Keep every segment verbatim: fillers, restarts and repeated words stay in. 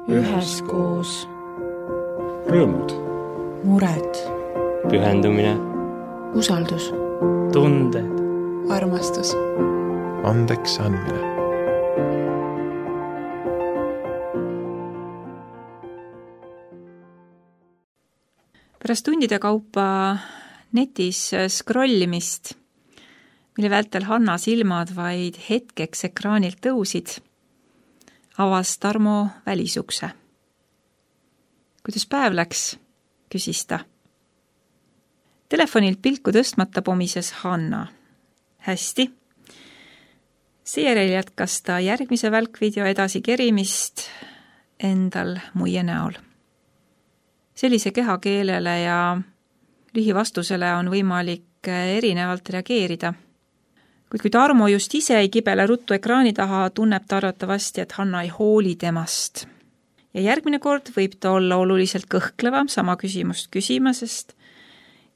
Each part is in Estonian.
üheskoos. Rõõmud. Mured. Pühendumine. Usaldus. Tunded. Armastus. Andeks andmine. Pärast tundide kaupa netis scrollimist, mille vältel Hanna silmad vaid hetkeks ekraanilt tõusid, avas Tarmo välisukse. Kuidas päev läks, küsis ta. Telefonilt pilku tõstmata pomises Hanna. Hästi. Seejärel jätkas ta järgmise välkvideo edasi kerimist endal muie näol. Sellise kehakeelele ja lühivastusele on võimalik erinevalt reageerida. Kuid kui Tarmo just ise ei kibele ruttu ekraani taha, tunneb ta arvatavasti, et Hanna ei hooli temast. Ja järgmine kord võib ta olla oluliselt kõhklevam sama küsimust küsima, sest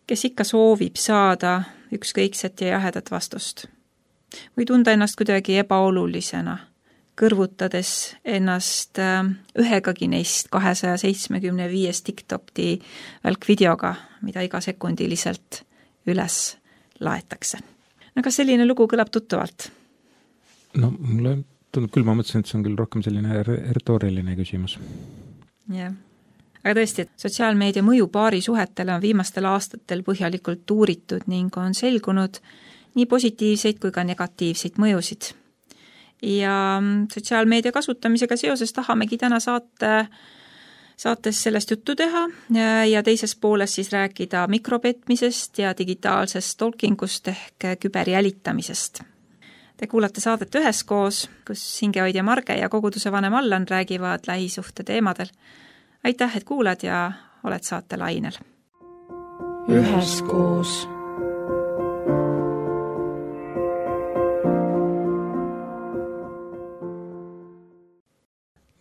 kes ikka soovib saada ükskõikset ja jahedat vastust. Või tunda ennast kuidagi ebaolulisena, kõrvutades ennast ühegagi neist kahesaja seitsmekümne viies TikTokti välkvideoga, mida iga sekundiliselt üles laetakse. No kas selline lugu kõlab tuttavalt? No mulle tundub küll, ma mõtlesin, et see on küll rohkem selline retooriline küsimus. Jah. Aga tõesti, et sotsiaalmeedia mõju paari suhetele on viimastel aastatel põhjalikult uuritud ning on selgunud nii positiivseid kui ka negatiivseid mõjusid. Ja sotsiaalmeedia kasutamisega seoses tahamegi täna saate, saates sellest juttu teha ja teises pooles siis rääkida mikropetmisest ja digitaalsest stalkingust ehk küberjälitamisest. Te kuulate saadet üheskoos, kus hingehoidja Marge ja koguduse vanem Allan räägivad lähisuhte teemadel. Aitäh, et kuulad ja oled saate lainel. Üheskoos.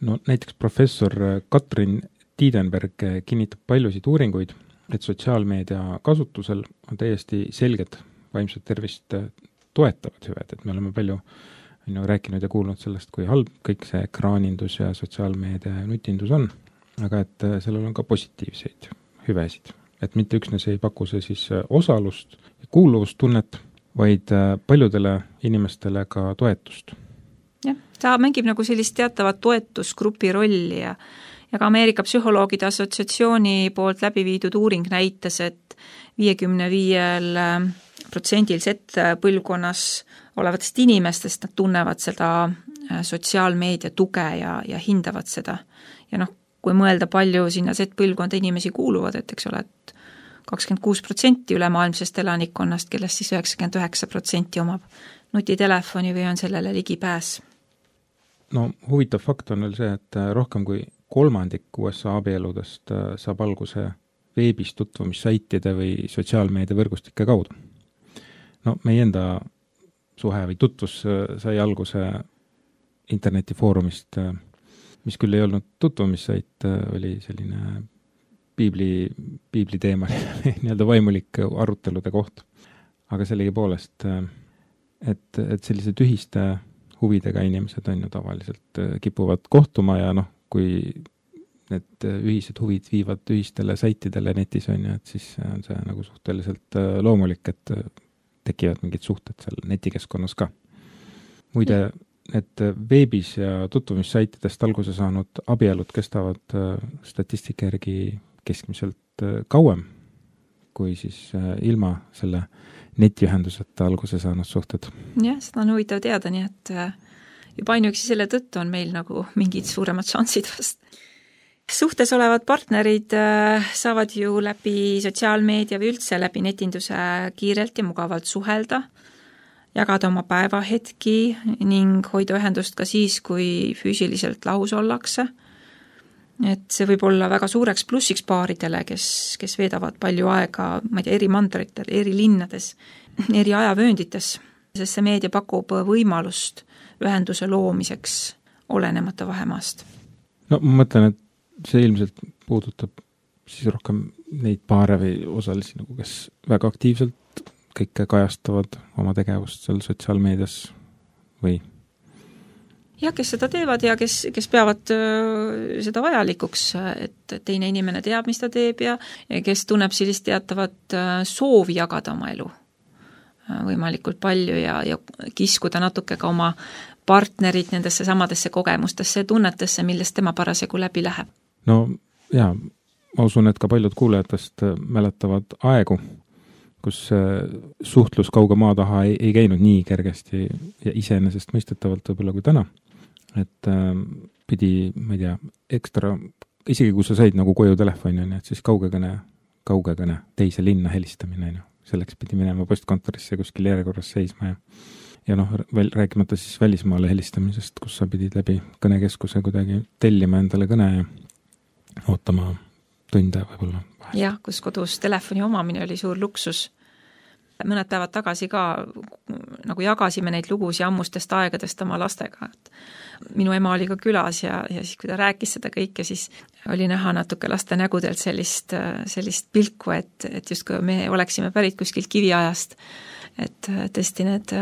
No näiteks professor Katrin Tiidenberg kinnitab paljusid uuringuid, et sotsiaalmeedia kasutusel on täiesti selged vaimset tervist toetavad hüved, et me oleme palju on ju, rääkinud ja kuulnud sellest, kui halb kõik see ekraanindus ja sotsiaalmeedia ja nutindus on, aga et sellel on ka positiivseid hüvesid. Et mitte üksnes ei paku see siis osalust ja kuuluvustunnet, vaid paljudele inimestele ka toetust. Jah, ta mängib nagu sellist teatavat toetusgrupi rolli ja, ja ka Ameerika psühholoogide assotsiatsiooni poolt läbi viidud uuring näitas, et viiekümne viiel protsendil Z-põlvkonnas olevatest inimestest nad tunnevad seda sotsiaalmeedia tuge ja, ja hindavad seda. Ja noh, kui mõelda palju sinna Z-põlvkonda inimesi kuuluvad, et eks ole, et kakskümmend kuus protsenti ülemaailmsest elanikkonnast, kellest siis üheksakümmend üheksa protsenti omab nutitelefoni või on sellele ligipääs. No huvitav fakt on veel see, et rohkem kui kolmandik U S A abieludest saab alguse veebis tutvumissaitide või sotsiaalmeedia võrgustike kaudu. No meie enda suhe või tutvus sai alguse internetifoorumist, mis küll ei olnud tutvumissait, oli selline piibli, piibli teema, nii-öelda vaimulik arutelude koht. Aga sellegi poolest, et, et sellise tühiste huvidega inimesed on ju tavaliselt kipuvad kohtuma ja noh, kui need ühised huvid viivad ühistele saitidele netis on ju, et siis on see nagu suhteliselt loomulik, et tekivad mingid suhted seal netikeskkonnas ka. Muide, et veebis ja tutvumissaitidest alguse saanud abielud kestavad statistika järgi keskmiselt kauem, kui siis ilma selle netiühenduseta alguse saanud suhted. Jah, seda on huvitav teada, nii et juba ainuüksi selle tõttu on meil nagu mingid suuremad šansid vast. Suhtes olevad partnerid saavad ju läbi sotsiaalmeedia või üldse läbi netinduse kiirelt ja mugavalt suhelda, jagada oma päevahetki ning hoida ühendust ka siis, kui füüsiliselt lahus ollakse. Et see võib olla väga suureks plussiks paaridele, kes, kes veedavad palju aega, ma ei tea, eri mandritel, eri linnades, eri ajavööndites, sest see meedia pakub võimalust ühenduse loomiseks olenemata vahemaast. No ma mõtlen, et see ilmselt puudutab siis rohkem neid paare või osalisi, nagu kes väga aktiivselt kõike kajastavad oma tegevust seal sotsiaalmeedias või jah, kes seda teevad ja kes, kes peavad seda vajalikuks, et teine inimene teab, mis ta teeb ja, ja kes tunneb sellist teatavat soovi jagada oma elu võimalikult palju ja, ja kiskuda natuke ka oma partnerid nendesse samadesse kogemustesse ja tunnetesse, millest tema parasjagu läbi läheb. No jaa, ma usun, et ka paljud kuulajatest mäletavad aegu, kus suhtlus kauge maa taha ei, ei käinud nii kergesti ja iseenesest mõistetavalt võib-olla kui täna. Et äh, pidi, ma ei tea, ekstra, isegi kui sa said nagu koju telefoni, et siis kaugekõne, kaugekõne, teise linna helistamine, selleks pidi minema postkontorisse kuskil järjekorras seisma ja ja noh, veel rääkimata siis välismaale helistamisest, kus sa pidid läbi kõnekeskuse kuidagi tellima endale kõne ja ootama tunde võib-olla. Jah, kus kodus telefoni omamine oli suur luksus. Mõned päevad tagasi ka nagu jagasime neid lugusid ammustest aegadest oma lastega. Minu ema oli ka külas ja, ja siis, kui ta rääkis seda kõike, siis oli näha natuke laste nägudelt sellist, sellist pilku, et, et just kui me oleksime pärit kuskilt kiviajast, et tõesti need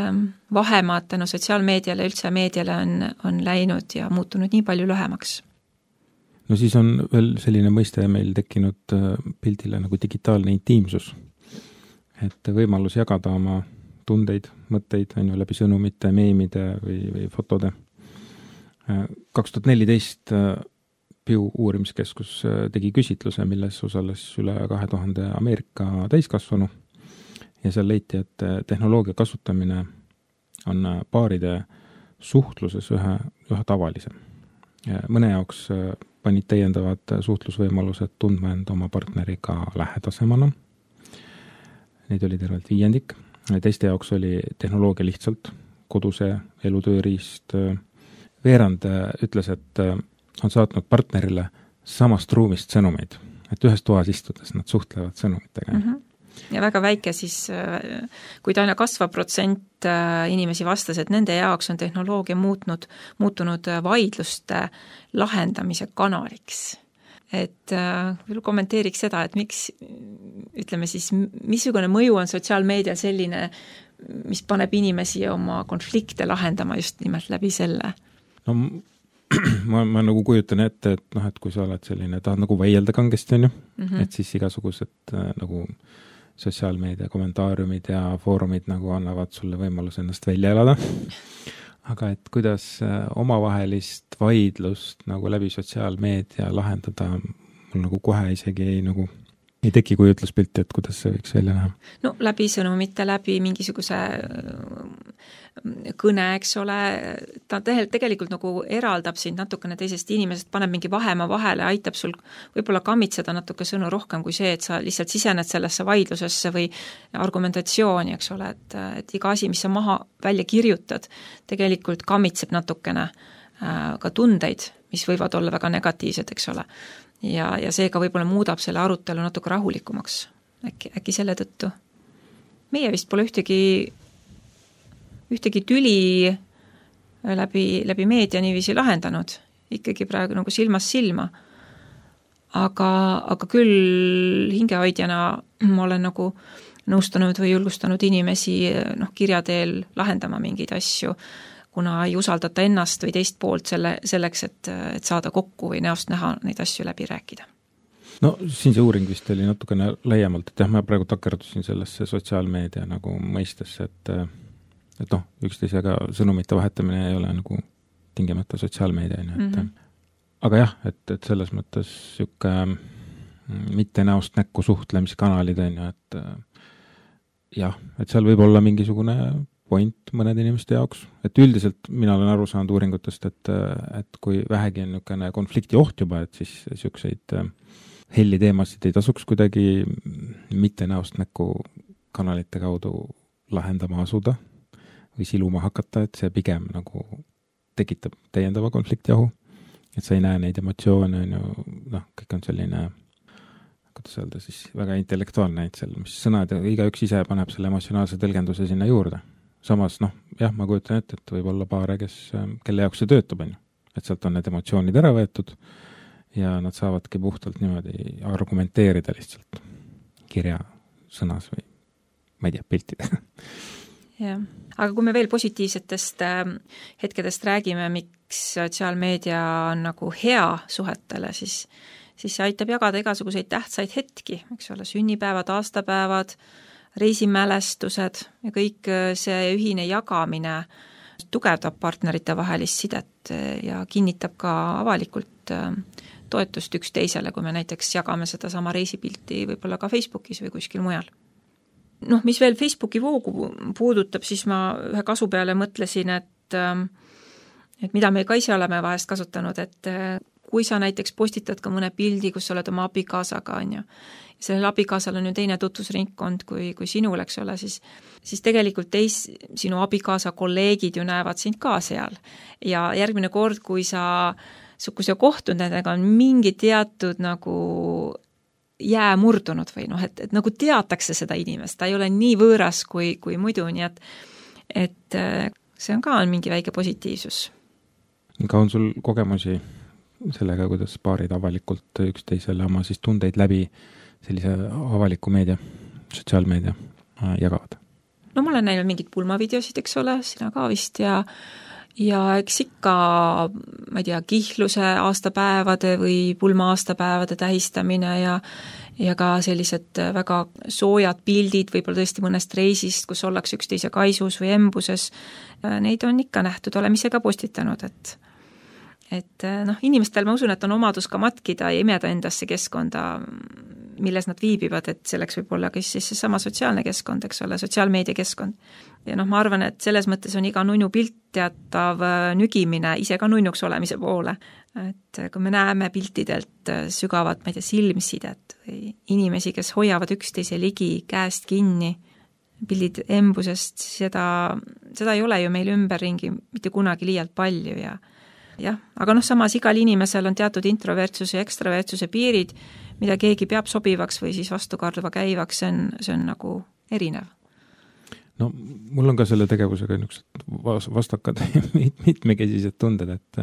vahemaad tänu sotsiaalmeediale, üldse meediale on, on läinud ja muutunud nii palju lühemaks. No siis on veel selline mõiste meil tekkinud pildile nagu digitaalne intiimsus. Et võimalus jagada oma tundeid, mõtteid on ju läbi sõnumite, meemide või, või fotode. kaks tuhat neliteist Pew uurimiskeskus tegi küsitluse, milles osales üle kahe tuhande Ameerika täiskasvanu ja seal leiti, et tehnoloogia kasutamine on paaride suhtluses ühe, ühe tavalisem. Ja mõne jaoks panid täiendavad suhtlusvõimalused tundma end oma partneriga lähedasemana. Neid oli tervelt viiendik. Teiste jaoks oli tehnoloogia lihtsalt koduse elutööriist. Veerand ütles, et on saatnud partnerile samast ruumist sõnumeid, et ühes toas istudes nad suhtlevad sõnumitega. Mm-hmm. Ja väga väike siis, kui ta aina kasva protsent inimesi vastas, et nende jaoks on tehnoloogia muutnud, muutunud vaidluste lahendamise kanaliks. Et äh, kommenteeriks seda, et miks, ütleme siis, missugune mõju on sotsiaalmeedial selline, mis paneb inimesi oma konflikte lahendama just nimelt läbi selle? No ma, ma nagu kujutan ette, et noh, et kui sa oled selline, tahad nagu väielda kangesti, on ju, mm-hmm. et siis igasugused äh, nagu sotsiaalmeedia kommentaariumid ja foorumid nagu annavad sulle võimalus ennast välja elada. Aga et kuidas omavahelist vaidlust nagu läbi sotsiaalmeedia lahendada, mul nagu kohe isegi ei, nagu, ei teki kujutluspilti, et kuidas see võiks välja näha. No läbi sõnumite, läbi mingisuguse kõne, eks ole, ta tegelikult nagu eraldab sind natukene teisest inimesest, paneb mingi vahemaa vahele, aitab sul võib-olla kammitseda natuke sõnu rohkem kui see, et sa lihtsalt sisened sellesse vaidlusesse või argumentatsiooni, eks ole, et, et iga asi, mis sa maha välja kirjutad, tegelikult kammitseb natukene ka tundeid, mis võivad olla väga negatiivsed, eks ole. Ja, ja seega võib-olla muudab selle arutelu natuke rahulikumaks. Äkki, äkki selle tõttu. Meie vist pole ühtegi ühtegi tüli läbi, läbi meedia niiviisi lahendanud, ikkagi praegu nagu silmas silma. Aga, aga küll hingehoidjana ma olen nagu nõustanud või julgustanud inimesi noh, kirjateel lahendama mingeid asju, kuna ei usaldata ennast või teist poolt selle, selleks, et, et saada kokku või näost näha neid asju läbi rääkida. No siin see uuring vist oli natukene laiemalt, et jah, ma praegu takerdusin sellesse sotsiaalmeedia nagu mõistesse, et et noh, üksteisega sõnumite vahetamine ei ole nagu tingimata sotsiaalmeedia, et mm-hmm. aga jah, et, et selles mõttes sükke mitte näost näkku suhtlemiskanalid on ju, et jah, et seal võib olla mingisugune point mõnede inimeste jaoks, et üldiselt mina olen aru saanud uuringutest, et, et kui vähegi on niisugune konflikti oht juba, et siis niisuguseid helli teemasid ei tasuks kuidagi mitte näost näkku kanalite kaudu lahendama asuda või siluma hakata, et see pigem nagu tekitab täiendava konfliktiahu, et sa ei näe neid emotsioone, on ju, noh, kõik on selline, kuidas öelda siis, väga intellektuaalne, et seal, mis sõnad, igaüks ise paneb selle emotsionaalse tõlgenduse sinna juurde. Samas, noh, jah, ma kujutan ette, et võib olla paare, kes, kelle jaoks see töötab, on ju, et sealt on need emotsioonid ära võetud ja nad saavadki puhtalt niimoodi argumenteerida lihtsalt kirja sõnas või ma ei tea, piltidega. jah, aga kui me veel positiivsetest hetkedest räägime, miks sotsiaalmeedia on nagu hea suhetele, siis, siis see aitab jagada igasuguseid tähtsaid hetki, eks ole, sünnipäevad, aastapäevad, reisimälestused ja kõik see ühine jagamine tugevdab partnerite vahelist sidet ja kinnitab ka avalikult toetust üksteisele, kui me näiteks jagame seda sama reisipilti võib-olla ka Facebookis või kuskil mujal. Noh, mis veel Facebooki voogu puudutab, siis ma ühe kasu peale mõtlesin, et, et mida me ka ise oleme vahest kasutanud, et kui sa näiteks postitad ka mõne pildi, kus sa oled oma abikaasaga, on ju, sellel abikaasal on ju teine tutvusringkond kui, kui sinul, eks ole, siis, siis tegelikult teis, sinu abikaasa kolleegid ju näevad sind ka seal. Ja järgmine kord, kui sa, kui sa kohtud nendega, on mingi teatud nagu jää murdunud või noh, et, et nagu teatakse seda inimest, ta ei ole nii võõras kui, kui muidu, nii et, et see on ka on mingi väike positiivsus. Ka on sul kogemusi sellega, kuidas paarid avalikult üksteisele oma siis tundeid läbi sellise avaliku meedia, sotsiaalmeedia jagavad? No ma olen näinud mingid pulmavideosid, eks ole, sina ka vist ja ja eks ikka, ma ei tea, kihluse aastapäevade või pulma aastapäevade tähistamine ja, ja ka sellised väga soojad pildid, võib-olla tõesti mõnest reisist, kus ollakse üksteise kaisus või embuses, neid on ikka nähtud, oleme ise ka postitanud, et et noh, inimestel ma usun, et on omadus ka matkida ja imeda endasse keskkonda, milles nad viibivad, et selleks võib olla kes siis sama sotsiaalne keskkond, eks ole, sotsiaalmeedia keskkond. Ja noh, ma arvan, et selles mõttes on iga nunnu pilt teatav nügimine ise ka nunnuks olemise poole. Et kui me näeme piltidelt sügavat, ma ei tea, silmsidet või inimesi, kes hoiavad üksteise ligi käest kinni, pildid embusest, seda, seda ei ole ju meil ümberringi mitte kunagi liialt palju ja jah, aga noh, samas igal inimesel on teatud introvertsuse ja ekstravertsuse piirid, mida keegi peab sobivaks või siis vastukarduva käivaks, see on, see on nagu erinev. No mul on ka selle tegevusega niisugused vastakad mitmekesised tunded, et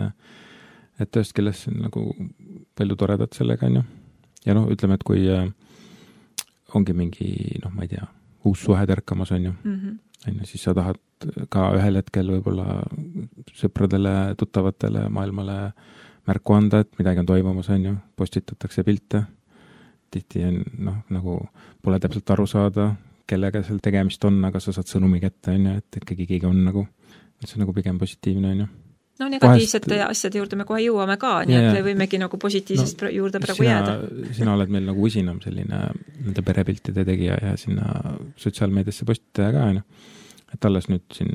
et ühest kellest on nagu palju toredat sellega, on ju. Ja noh, ütleme, et kui ongi mingi, noh, ma ei tea, uus suhe tärkamas, on ju, mm-hmm. on ju, siis sa tahad ka ühel hetkel võib-olla sõpradele, tuttavatele maailmale märku anda, et midagi on toimumas, on ju, postitatakse pilte, tihti on, noh, nagu pole täpselt aru saada, kellega seal tegemist on, aga sa saad sõnumi kätte, on ju, et ikkagi keegi on nagu, et see on nagu pigem positiivne, on ju. No negatiivsete Vahest... asjade juurde me kohe jõuame ka, nii ja, et võimegi nagu positiivsest no, juurde praegu sina, jääda. Sina oled meil nagu usinam selline nende perepiltide tegija ja sinna sotsiaalmeediasse postitaja ka, on ju. Et alles nüüd siin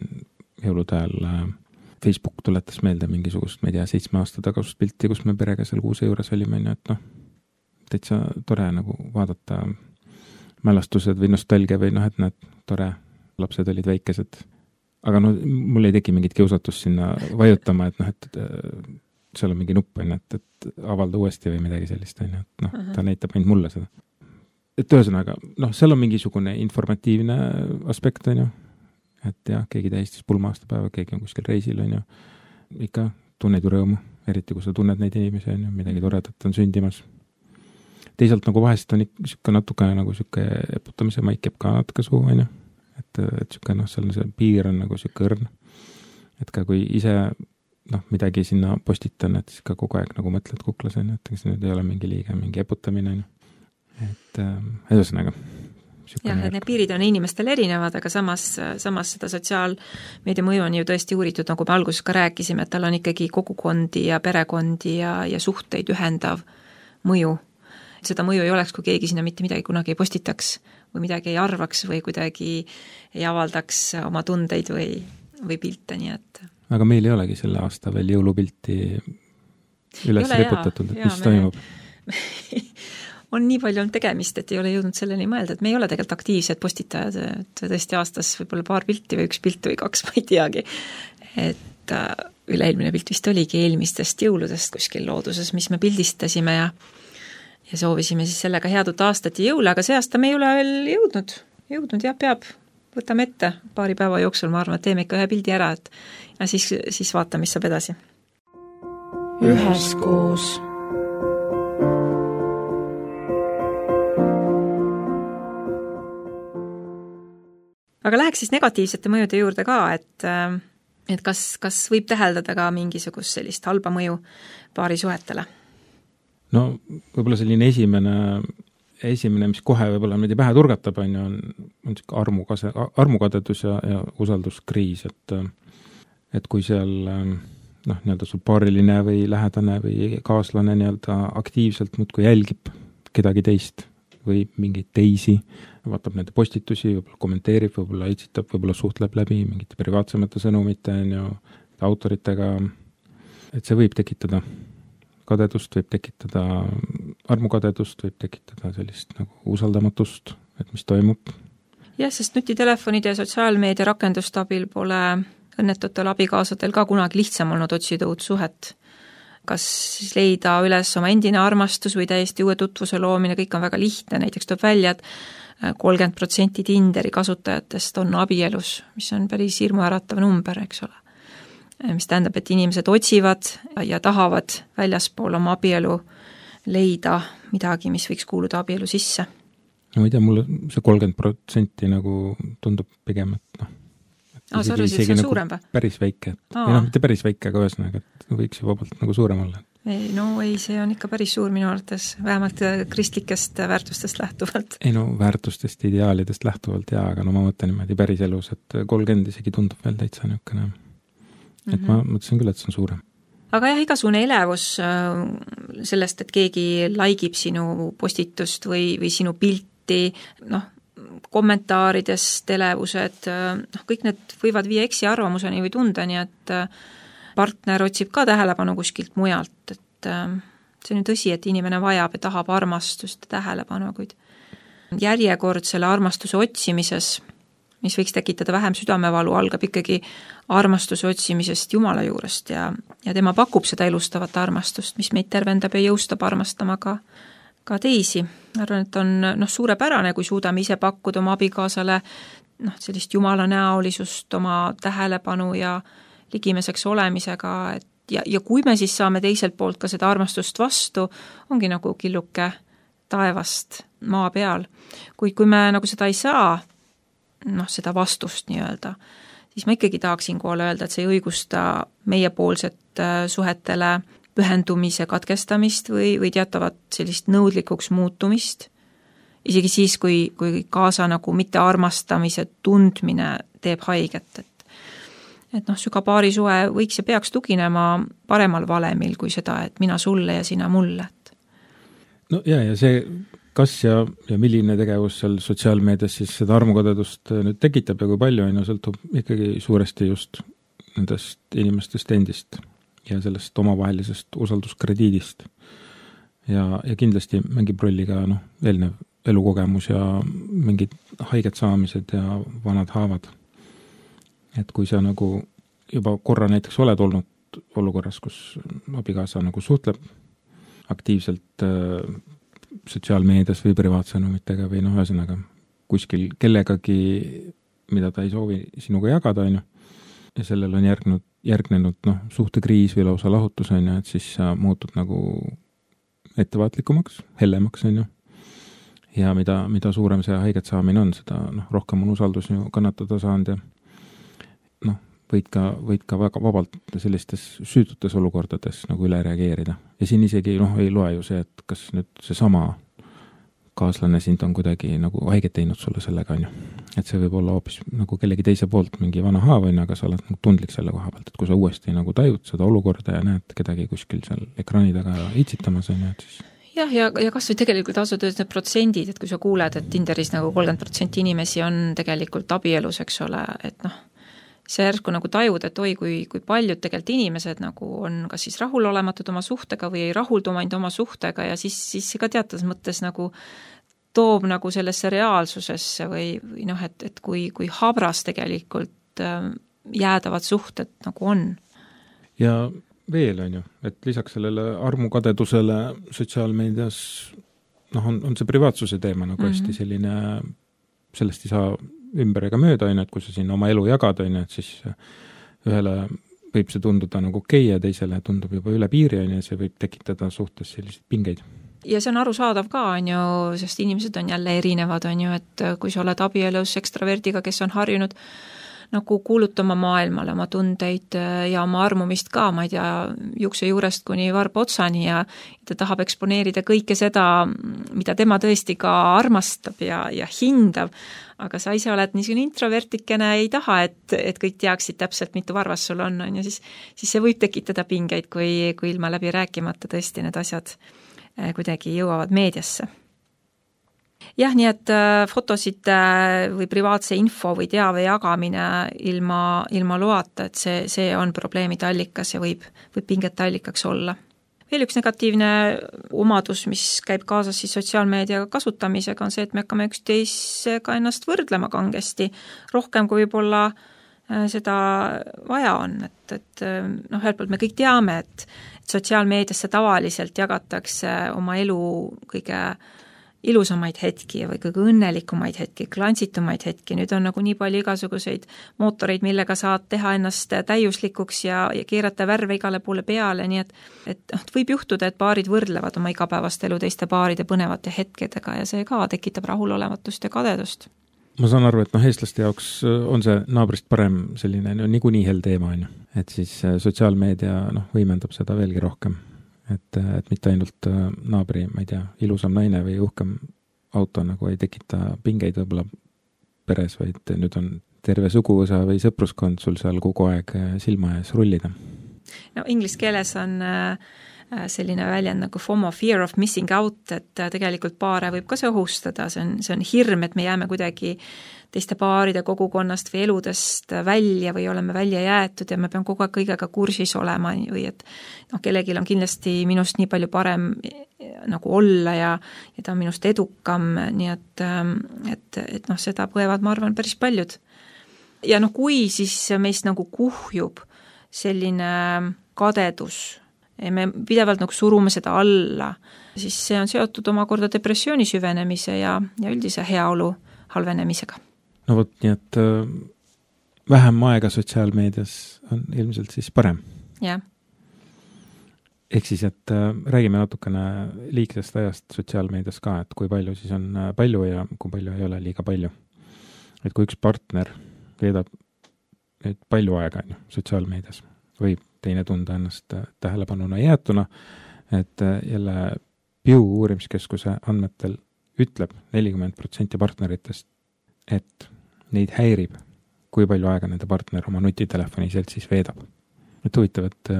jõulude ajal Facebook tuletas meelde mingisugust, ma ei tea, seitsme aasta tagasust pilti, kus me perega seal kuuse juures olime, et noh, täitsa tore nagu vaadata mälestused või nostalgia või noh, et näed, tore, lapsed olid väikesed. Aga no mul ei teki mingit kiusatust sinna vajutama, et noh, et seal on mingi nupp, et, et avalda uuesti või midagi sellist, et noh, uh-huh. ta näitab ainult mulle seda. Et ühesõnaga, noh, seal on mingisugune informatiivne aspekt, on ju, et jah, keegi tähistas pulma aastapäeva, keegi on kuskil reisil, on ju, ikka tunned ju rõõmu, eriti kui sa tunned neid inimesi, on ju, midagi toredat on sündimas. Teisalt nagu vahest on ikka natuke nagu siuke eputamise maik jääb ka natuke suu, on ju, et, et siuke, noh, seal see piir on nagu siuke õrn, et ka kui ise, noh, midagi sinna postitan, et siis ka kogu aeg nagu mõtled kuklas, on ju, et see nüüd ei ole mingi liige, mingi eputamine, on ju, et ühesõnaga jah, et need piirid on inimestel erinevad, aga samas, samas seda sotsiaalmeedia mõju on ju tõesti uuritud, nagu me alguses ka rääkisime, et tal on ikkagi kogukondi ja perekondi ja, ja suhteid ühendav mõju. Seda mõju ei oleks, kui keegi sinna mitte midagi kunagi ei postitaks või midagi ei arvaks või kuidagi ei avaldaks oma tundeid või, või pilte, nii et... Aga meil ei olegi selle aasta veel jõulupilti üles reputatud, et mis me... toimub? on nii palju on tegemist, et ei ole jõudnud selleni mõelda, et me ei ole tegelikult aktiivsed postitajad, et tõesti aastas võib-olla paar pilti või üks pilt või kaks, ma ei teagi. Et üle-eelmine pilt vist oligi eelmistest jõuludest kuskil looduses, mis me pildistasime ja, ja soovisime siis sellega head uut aastat ja jõule, aga see aasta me ei ole veel jõudnud, jõudnud ja peab, võtame ette paari päeva jooksul, ma arvan, et teeme ikka ühe pildi ära, et ja siis, siis vaatame, mis saab edasi. Üheskoos. aga läheks siis negatiivsete mõjude juurde ka, et, et kas, kas võib täheldada ka mingisugust sellist halba mõju paarisuhetele? No võib-olla selline esimene, esimene, mis kohe võib-olla meid pähe turgatab, on, on, on armukase, armukadedus ja, ja usalduskriis, et, et kui seal noh, nii-öelda sul paariline või lähedane või kaaslane nii-öelda aktiivselt muudkui jälgib kedagi teist või mingeid teisi, vaatab nende postitusi, võib-olla kommenteerib, võib-olla etsitab, võib-olla suhtleb läbi mingite privaatsemate sõnumite ja autoritega, et see võib tekitada kadedust, võib tekitada armukadedust, võib tekitada sellist nagu usaldamatust, et mis toimub. Jah, sest nutitelefonide ja sotsiaalmeedia rakenduste abil pole õnnetutel abikaasadel ka kunagi lihtsam olnud otsida uut suhet. Kas siis leida üles oma endine armastus või täiesti uue tutvuse loomine, kõik on väga lihtne, näiteks tuleb välja, et kolmkümmend protsenti Tinderi kasutajatest on abielus, mis on päris hirmuäratav number, eks ole. Mis tähendab, et inimesed otsivad ja tahavad väljaspool oma abielu leida midagi, mis võiks kuuluda abielu sisse. No ma ei tea, mulle see kolmkümmend protsenti nagu tundub pigem, et noh, Aa, sa arvasid, see on nagu suurem või? Päris väike, et ei noh, mitte päris väike, aga ühesõnaga, et võiks ju vabalt nagu suurem olla. Ei, no ei, see on ikka päris suur minu arvates, vähemalt kristlikest väärtustest lähtuvalt. Ei no, väärtustest, ideaalidest lähtuvalt jaa, aga no ma mõtlen niimoodi päris elus, et kolmkümmend isegi tundub veel täitsa niisugune. Et mm-hmm. ma mõtlesin küll, et see on suurem. Aga jah, igasugune elevus sellest, et keegi laigib sinu postitust või, või sinu pilti, noh, kommentaaridest elevused, noh, kõik need võivad viia eksi arvamuseni või tundeni, et partner otsib ka tähelepanu kuskilt mujalt, et see on ju tõsi, et inimene vajab ja tahab armastust ja tähelepanu, kuid järjekord selle armastuse otsimises, mis võiks tekitada vähem südamevalu, algab ikkagi armastuse otsimisest Jumala juurest ja, ja tema pakub seda elustavat armastust, mis meid tervendab ja jõustab armastama ka ka teisi. Arvan, et on noh, suurepärane, kui suudame ise pakkuda oma abikaasale noh, sellist Jumala näolisust, oma tähelepanu ja ligimeseks olemisega, et ja, ja kui me siis saame teiselt poolt ka seda armastust vastu, ongi nagu killuke taevast maa peal. Kuid kui me nagu seda ei saa, noh, seda vastust nii-öelda, siis ma ikkagi tahaksin koole öelda, et see ei õigusta meiepoolset suhetele pühendumise katkestamist või, või teatavat sellist nõudlikuks muutumist, isegi siis, kui, kui kaasa nagu mitte armastamise tundmine teeb haiget, et, et noh, süga paarisuhe võiks ja peaks tuginema paremal valemil kui seda, et mina sulle ja sina mulle. Et. No ja, ja see, kas ja, ja milline tegevus seal sotsiaalmeedias siis seda armukadedust nüüd tekitab ja kui palju on, sõltub ikkagi suuresti just nendest inimestest endist ja sellest omavahelisest usalduskrediidist. Ja, ja kindlasti mängib rolli ka noh, eelnev elukogemus ja mingid haiget saamised ja vanad haavad. Et kui sa nagu juba korra näiteks oled olnud olukorras, kus abikaasa nagu suhtleb aktiivselt äh, sotsiaalmeedias või privaatsõnumitega või noh, ühesõnaga kuskil kellegagi, mida ta ei soovi sinuga jagada, on ju, ja sellel on järgnud, järgnenud noh, suhtekriis või lausa lahutus, on ju, et siis sa muutud nagu ettevaatlikumaks, hellemaks, on ju. Ja mida, mida suurem see haiget saamine on, seda noh, rohkem on usaldus ju kannatada saanud ja noh, võid ka, võid ka väga vabalt sellistes süütutes olukordades nagu üle reageerida. Ja siin isegi noh, ei loe ju see, et kas nüüd see sama kaaslane sind on kuidagi nagu haiget teinud sulle sellega, on ju. Et see võib olla hoopis nagu kellegi teise poolt mingi vana haav, on ju, aga sa oled nagu tundlik selle koha pealt, et kui sa uuesti nagu tajud seda olukorda ja näed kedagi kuskil seal ekraani taga itsitamas, on ju, et siis jah, ja, ja kas või tegelikult ausalt öeldes need protsendid, et kui sa kuuled, et Tinderis nagu kolmkümmend protsenti inimesi on tegelikult abielus, eks ole, et noh, see järsku nagu tajud, et oi, kui, kui paljud tegelikult inimesed nagu on kas siis rahulolematud oma suhtega või ei rahuldu ainult oma suhtega ja siis, siis ka teatas mõttes nagu toob nagu sellesse reaalsusesse või, või noh, et, et kui, kui habras tegelikult jäädavad suhted nagu on. Ja veel on ju, et lisaks sellele armukadedusele sotsiaalmeedias noh, on, on see privaatsuse teema nagu mm-hmm. hästi selline, sellest ei saa ümber ega mööda, on, et kui sa siin oma elu jagad, on, et siis ühele võib see tunduda nagu okei ja teisele tundub juba üle piiri, on, ja see võib tekitada suhtes selliseid pingeid. ja see on arusaadav ka, on ju, sest inimesed on jälle erinevad, on ju, et kui sa oled abielus ekstraverdiga, kes on harjunud nagu kuulutama maailmale oma tundeid ja oma armumist ka, ma ei tea, juukse juurest kuni varba otsani ja ta tahab eksponeerida kõike seda, mida tema tõesti ka armastab ja, ja hindab, aga sa ise oled niisugune introvertikene, ei taha, et, et kõik teaksid täpselt, mitu varvas sul on, on ja siis, siis see võib tekitada pingeid, kui, kui ilma läbi rääkimata tõesti need asjad kuidagi jõuavad meediasse. Jah, nii et fotosid või privaatse info või teave jagamine ilma, ilma loata, et see, see on probleemide allikas ja võib, võib pingete allikaks olla. Veel üks negatiivne omadus, mis käib kaasas siis sotsiaalmeedia kasutamisega, on see, et me hakkame üksteisega ennast võrdlema kangesti, rohkem kui võib-olla seda vaja on, et, et noh, ühelt poolt me kõik teame, et, et sotsiaalmeediasse tavaliselt jagatakse oma elu kõige ilusamaid hetki või kõige õnnelikumaid hetki, klantsitumaid hetki, nüüd on nagu nii palju igasuguseid mootoreid, millega saad teha ennast täiuslikuks ja, ja keerata värve igale poole peale, nii et, et võib juhtuda, et paarid võrdlevad oma igapäevast elu teiste paaride põnevate hetkedega ja see ka tekitab rahulolematust ja kadedust. Ma saan aru, et noh, eestlaste jaoks on see naabrist parem selline no, niikuinii hel teema, on ju. Et siis sotsiaalmeedia noh, võimendab seda veelgi rohkem. Et, et mitte ainult naabri, ma ei tea, ilusam naine või uhkem auto nagu ei tekita pingeid võib-olla peres, vaid nüüd on terve suguvõsa või sõpruskond sul seal kogu aeg silma ees rullida. No inglise keeles on selline väljend nagu FOMO, fear of missing out, et tegelikult paare võib ka see ohustada, see on, see on hirm, et me jääme kuidagi teiste paaride kogukonnast või eludest välja või oleme välja jäetud ja me peame kogu aeg kõigega kursis olema või et noh, kellelgi on kindlasti minust nii palju parem nagu olla ja, ja ta on minust edukam, nii et, et, et noh, seda põevad, ma arvan, päris paljud. Ja noh, kui siis meist nagu kuhjub selline kadedus, me pidevalt nagu surume seda alla, siis see on seotud omakorda depressiooni süvenemise ja, ja üldise heaolu halvenemisega. No vot, nii et äh, vähem aega sotsiaalmeedias on ilmselt siis parem. Jah. Ehk siis, et äh, räägime natukene liigsest ajast sotsiaalmeedias ka, et kui palju siis on palju ja kui palju ei ole liiga palju. Et kui üks partner veedab nüüd palju aega on ju, sotsiaalmeedias, võib teine tunda ennast tähelepanuna jäetuna, et jälle Pew uurimiskeskuse andmetel ütleb nelikümmend protsenti partneritest, et neid häirib, kui palju aega nende partner oma nutitelefoni seltsis veedab. Et huvitav, et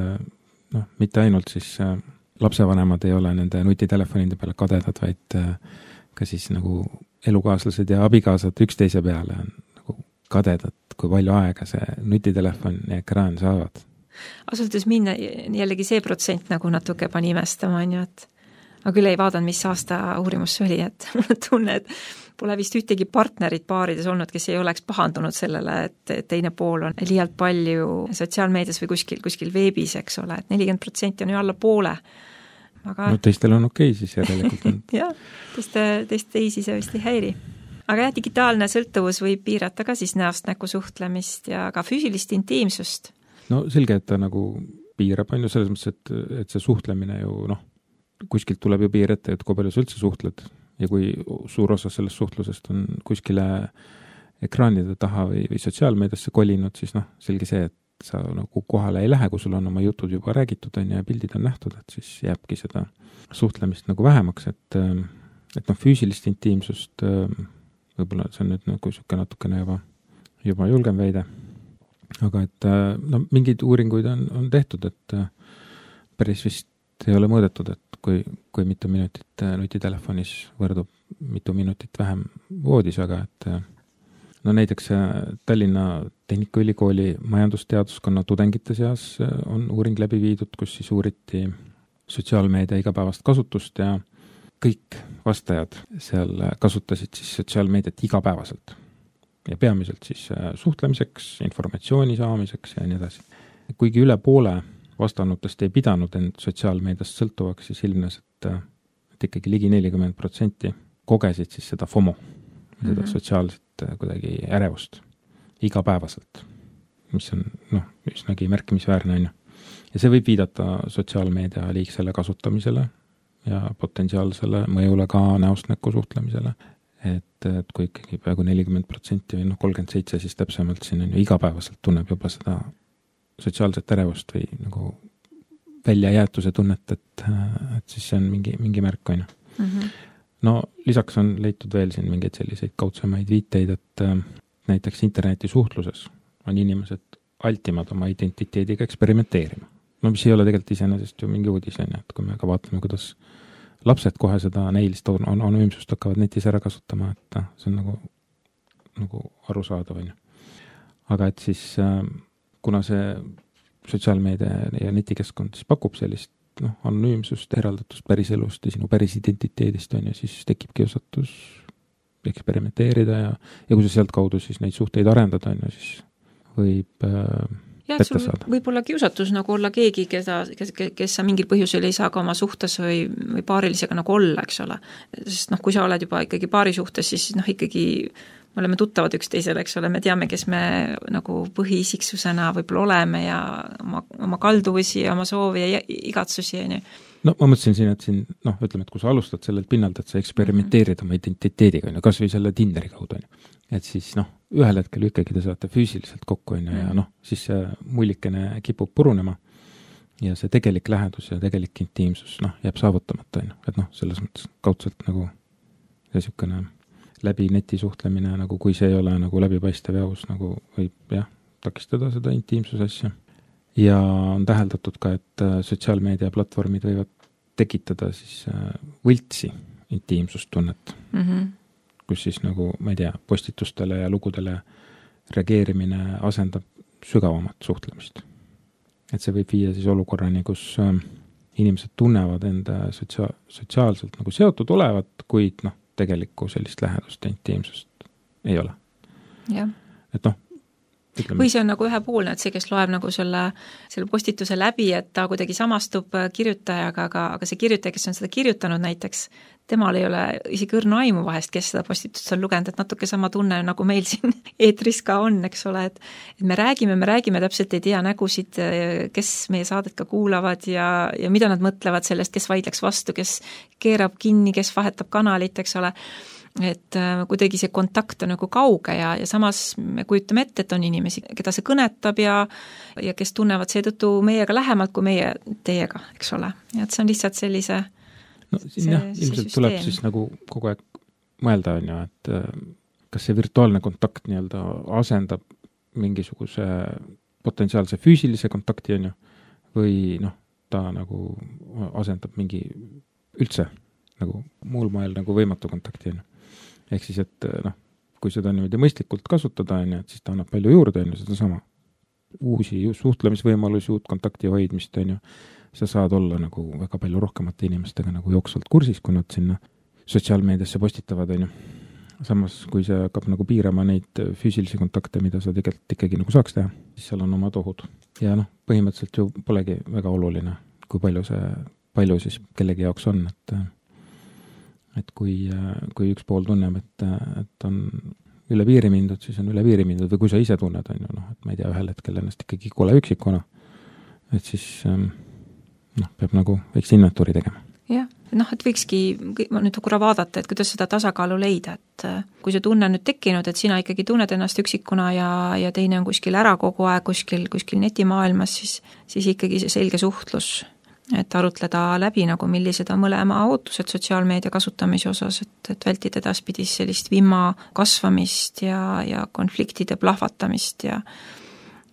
noh, mitte ainult siis lapsevanemad ei ole nende nutitelefonide peale kadedad, vaid ka siis nagu elukaaslased ja abikaasad üksteise peale on nagu kadedad, kui palju aega see nutitelefon ja ekraan saavad. Asultes minna jällegi see protsent nagu natuke pani imestama, on ju, et ma küll ei vaadanud, mis aasta uurimus oli, et mulle tunne, et pole vist ühtegi partnerit paarides olnud, kes ei oleks pahandunud sellele, et teine pool on liialt palju sotsiaalmeedias või kuskil, kuskil veebis, eks ole, et nelikümmend protsenti on ju alla poole. Aga... No teistel on okei siis järelikult on. Jah, teiste, teiste teisi see vist ei häiri. Aga jah, digitaalne sõltuvus võib piirata ka siis näost näkku suhtlemist ja ka füüsilist intiimsust. No selge, et ta nagu piirab, on ju selles mõttes, et, et see suhtlemine ju noh, kuskilt tuleb ju piir ette, et kui palju sa üldse suhtled ja kui suur osa sellest suhtlusest on kuskile ekraanide taha või, või sotsiaalmeediasse kolinud, siis noh, selge see, et sa nagu kohale ei lähe, kui sul on oma jutud juba räägitud on ja pildid on nähtud, et siis jääbki seda suhtlemist nagu vähemaks, et, et noh, füüsilist intiimsust võib-olla see on nüüd nagu siuke natukene juba, juba julgem veide. Aga et no, mingeid uuringuid on, on tehtud, et päris vist ei ole mõõdetud, et kui, kui mitu minutit nutitelefonis võrdub mitu minutit vähem voodis, aga et no näiteks Tallinna Tehnikaülikooli majandusteaduskonna tudengite seas on uuring läbi viidud, kus siis uuriti sotsiaalmeedia igapäevast kasutust ja kõik vastajad seal kasutasid siis sotsiaalmeediat igapäevaselt. Ja peamiselt siis suhtlemiseks, informatsiooni saamiseks ja nii edasi. Kuigi üle poole vastanutest ei pidanud end sotsiaalmeediast sõltuvaks, siis ilmnes, et, et ikkagi ligi nelikümmend protsenti kogesid siis seda FOMO, seda mm-hmm. sotsiaalset kuidagi ärevust igapäevaselt, mis on noh, üsnagi märkimisväärne on ju. Ja see võib viidata sotsiaalmeedia liigsele kasutamisele ja potentsiaalsele mõjule ka näost näkku suhtlemisele. Et, et kui ikkagi peaaegu nelikümmend protsenti või noh, kolmkümmend seitse siis täpsemalt siin on ju igapäevaselt tunneb juba seda sotsiaalset ärevust või nagu väljajäetuse tunnet, et, et siis see on mingi, mingi märk, on ju. Mm-hmm. No lisaks on leitud veel siin mingeid selliseid kaudsemaid viiteid, et näiteks interneti suhtluses on inimesed altimad oma identiteediga eksperimenteerima. No mis ei ole tegelikult iseenesest ju mingi uudis, et kui me ka vaatame, kuidas lapsed kohe seda näilist on, on, anonüümsust hakkavad netis ära kasutama, et see on nagu, nagu arusaadav. Aga et siis, kuna see sotsiaalmeedia ja netikeskkond siis pakub sellist noh, anonüümsust, eraldatust päriselust ja sinu päris identiteedist on ja siis tekib kiusatus eksperimenteerida ja, ja kui sa sealt kaudu siis neid suhteid arendada on ja siis võib äh, ja, et sul võib olla kiusatus nagu olla keegi, keda, kes, kes sa mingil põhjusel ei saa ka oma suhtes või, või paarilisega nagu olla, eks ole. Sest noh, kui sa oled juba ikkagi paari suhtes, siis noh, ikkagi me oleme tuttavad üksteisele, eks ole, me teame, kes me nagu põhiisiksusena võib-olla oleme ja oma, oma kalduvusi ja oma soovi ja igatsusi. Ja no ma mõtlesin siin, et siin, noh, ütleme, et kui sa alustad sellelt pinnalt, et sa eksperimenteerid mm-hmm. oma identiteediga, kas või selle Tinderi kaudu, et siis noh, ühel hetkel ikkagi te saate füüsiliselt kokku mm-hmm. ja noh, siis see mullikene kipub purunema ja see tegelik lähedus ja tegelik intiimsus noh, jääb saavutamata, et noh, selles mõttes kaudselt nagu niisugune läbi neti suhtlemine, nagu kui see ei ole nagu läbipaistev ja aus, nagu võib jah, takistada seda intiimsuse asja. Ja on täheldatud ka, et sotsiaalmeedia platvormid võivad tekitada siis võltsi intiimsustunnet, mm-hmm. kus siis nagu, ma ei tea, postitustele ja lugudele reageerimine asendab sügavamat suhtlemist. Et see võib viia siis olukorrani, kus inimesed tunnevad enda sotsiaal, sotsiaalselt nagu seotud olevat, kuid noh, tegelikku sellist lähedust ja intiimsust ei ole. Ja. Et noh, ütleme. Või see on nagu ühepoolne, et see, kes loeb nagu selle, selle postituse läbi, et ta kuidagi samastub kirjutajaga, aga, aga see kirjutaja, kes on seda kirjutanud näiteks, temal ei ole isegi õrna aimu vahest, kes seda postitust on lugenud, et natuke sama tunne, nagu meil siin eetris ka on, eks ole, et, et me räägime, me räägime, täpselt ei tea nägusid, kes meie saadet ka kuulavad ja, ja mida nad mõtlevad sellest, kes vaidleks vastu, kes keerab kinni, kes vahetab kanalit, eks ole. Et kuidagi see kontakt on nagu kauge ja, ja samas me kujutame ette, et on inimesi, keda see kõnetab ja, ja kes tunnevad seetõttu meiega lähemalt kui meie teiega, eks ole. Ja et see on lihtsalt sellise no, see, jah, ilmselt see tuleb siis nagu kogu aeg mõelda, on ju, et kas see virtuaalne kontakt nii-öelda asendab mingisuguse potentsiaalse füüsilise kontakti, on ju, või noh, ta nagu asendab mingi üldse nagu muul moel nagu võimatu kontakti, on ju. Ehk siis, et noh, kui seda niimoodi mõistlikult kasutada, on ju, et siis ta annab palju juurde, on ju, seda sama uusi suhtlemisvõimalusi, uut kontakti hoidmist, on ju, sa saad olla nagu väga palju rohkemate inimestega nagu jooksvalt kursis, kui nad sinna sotsiaalmeediasse postitavad, on ju. Samas, kui see hakkab nagu piirama neid füüsilisi kontakte, mida sa tegelikult ikkagi nagu saaks teha, siis seal on omad ohud. Ja noh, põhimõtteliselt ju polegi väga oluline, kui palju see, palju siis kellegi jaoks on, et et kui, kui üks pool tunneb, et, et on üle piiri mindud, siis on üle piiri mindud, või kui sa ise tunned, on ju, noh, et ma ei tea, ühel hetkel ennast ikkagi kole üksikuna, et siis noh, peab nagu võiks inventuuri tegema. Jah, noh, et võikski nüüd korra vaadata, et kuidas seda tasakaalu leida, et kui see tunne on nüüd tekkinud, et sina ikkagi tunned ennast üksikuna ja, ja teine on kuskil ära kogu aeg, kuskil, kuskil netimaailmas, siis, siis ikkagi see selge suhtlus, et arutleda läbi nagu millised on mõlema ootused sotsiaalmeedia kasutamise osas, et, et vältida edaspidis sellist vimma kasvamist ja, ja konfliktide plahvatamist ja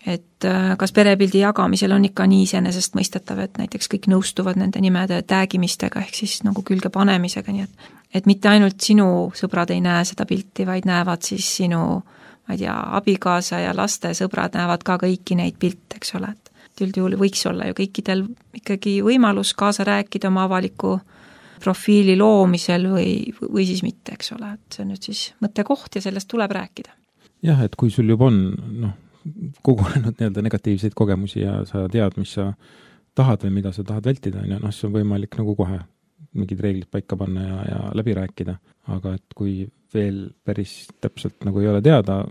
et kas perepildi jagamisel on ikka nii iseenesest mõistetav, et näiteks kõik nõustuvad nende nimede täägimistega ehk siis nagu külge panemisega, nii et, et mitte ainult sinu sõbrad ei näe seda pilti, vaid näevad siis sinu, ma ei tea, abikaasa ja laste sõbrad näevad ka kõiki neid pilte, eks ole, et üldjuhul võiks olla ju kõikidel ikkagi võimalus kaasa rääkida oma avaliku profiili loomisel või, või siis mitte, eks ole, et see on nüüd siis mõttekoht ja sellest tuleb rääkida. Jah, et kui sul juba on noh, kogunenud nii-öelda negatiivseid kogemusi ja sa tead, mis sa tahad või mida sa tahad vältida, noh, siis on võimalik nagu kohe mingid reeglid paika panna ja, ja läbi rääkida, aga et kui veel päris täpselt nagu ei ole teada,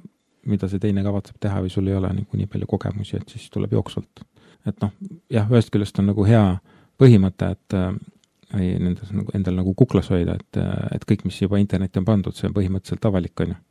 mida see teine kavatseb teha või sul ei ole nagu nii palju kogemusi, et siis tuleb jooksvalt. Et noh, jah, ühest küljest on nagu hea põhimõte, et või nendes nagu, endal nagu kuklas hoida, et, et kõik, mis juba internetti on pandud, see on põhimõtteliselt avalik, on ju.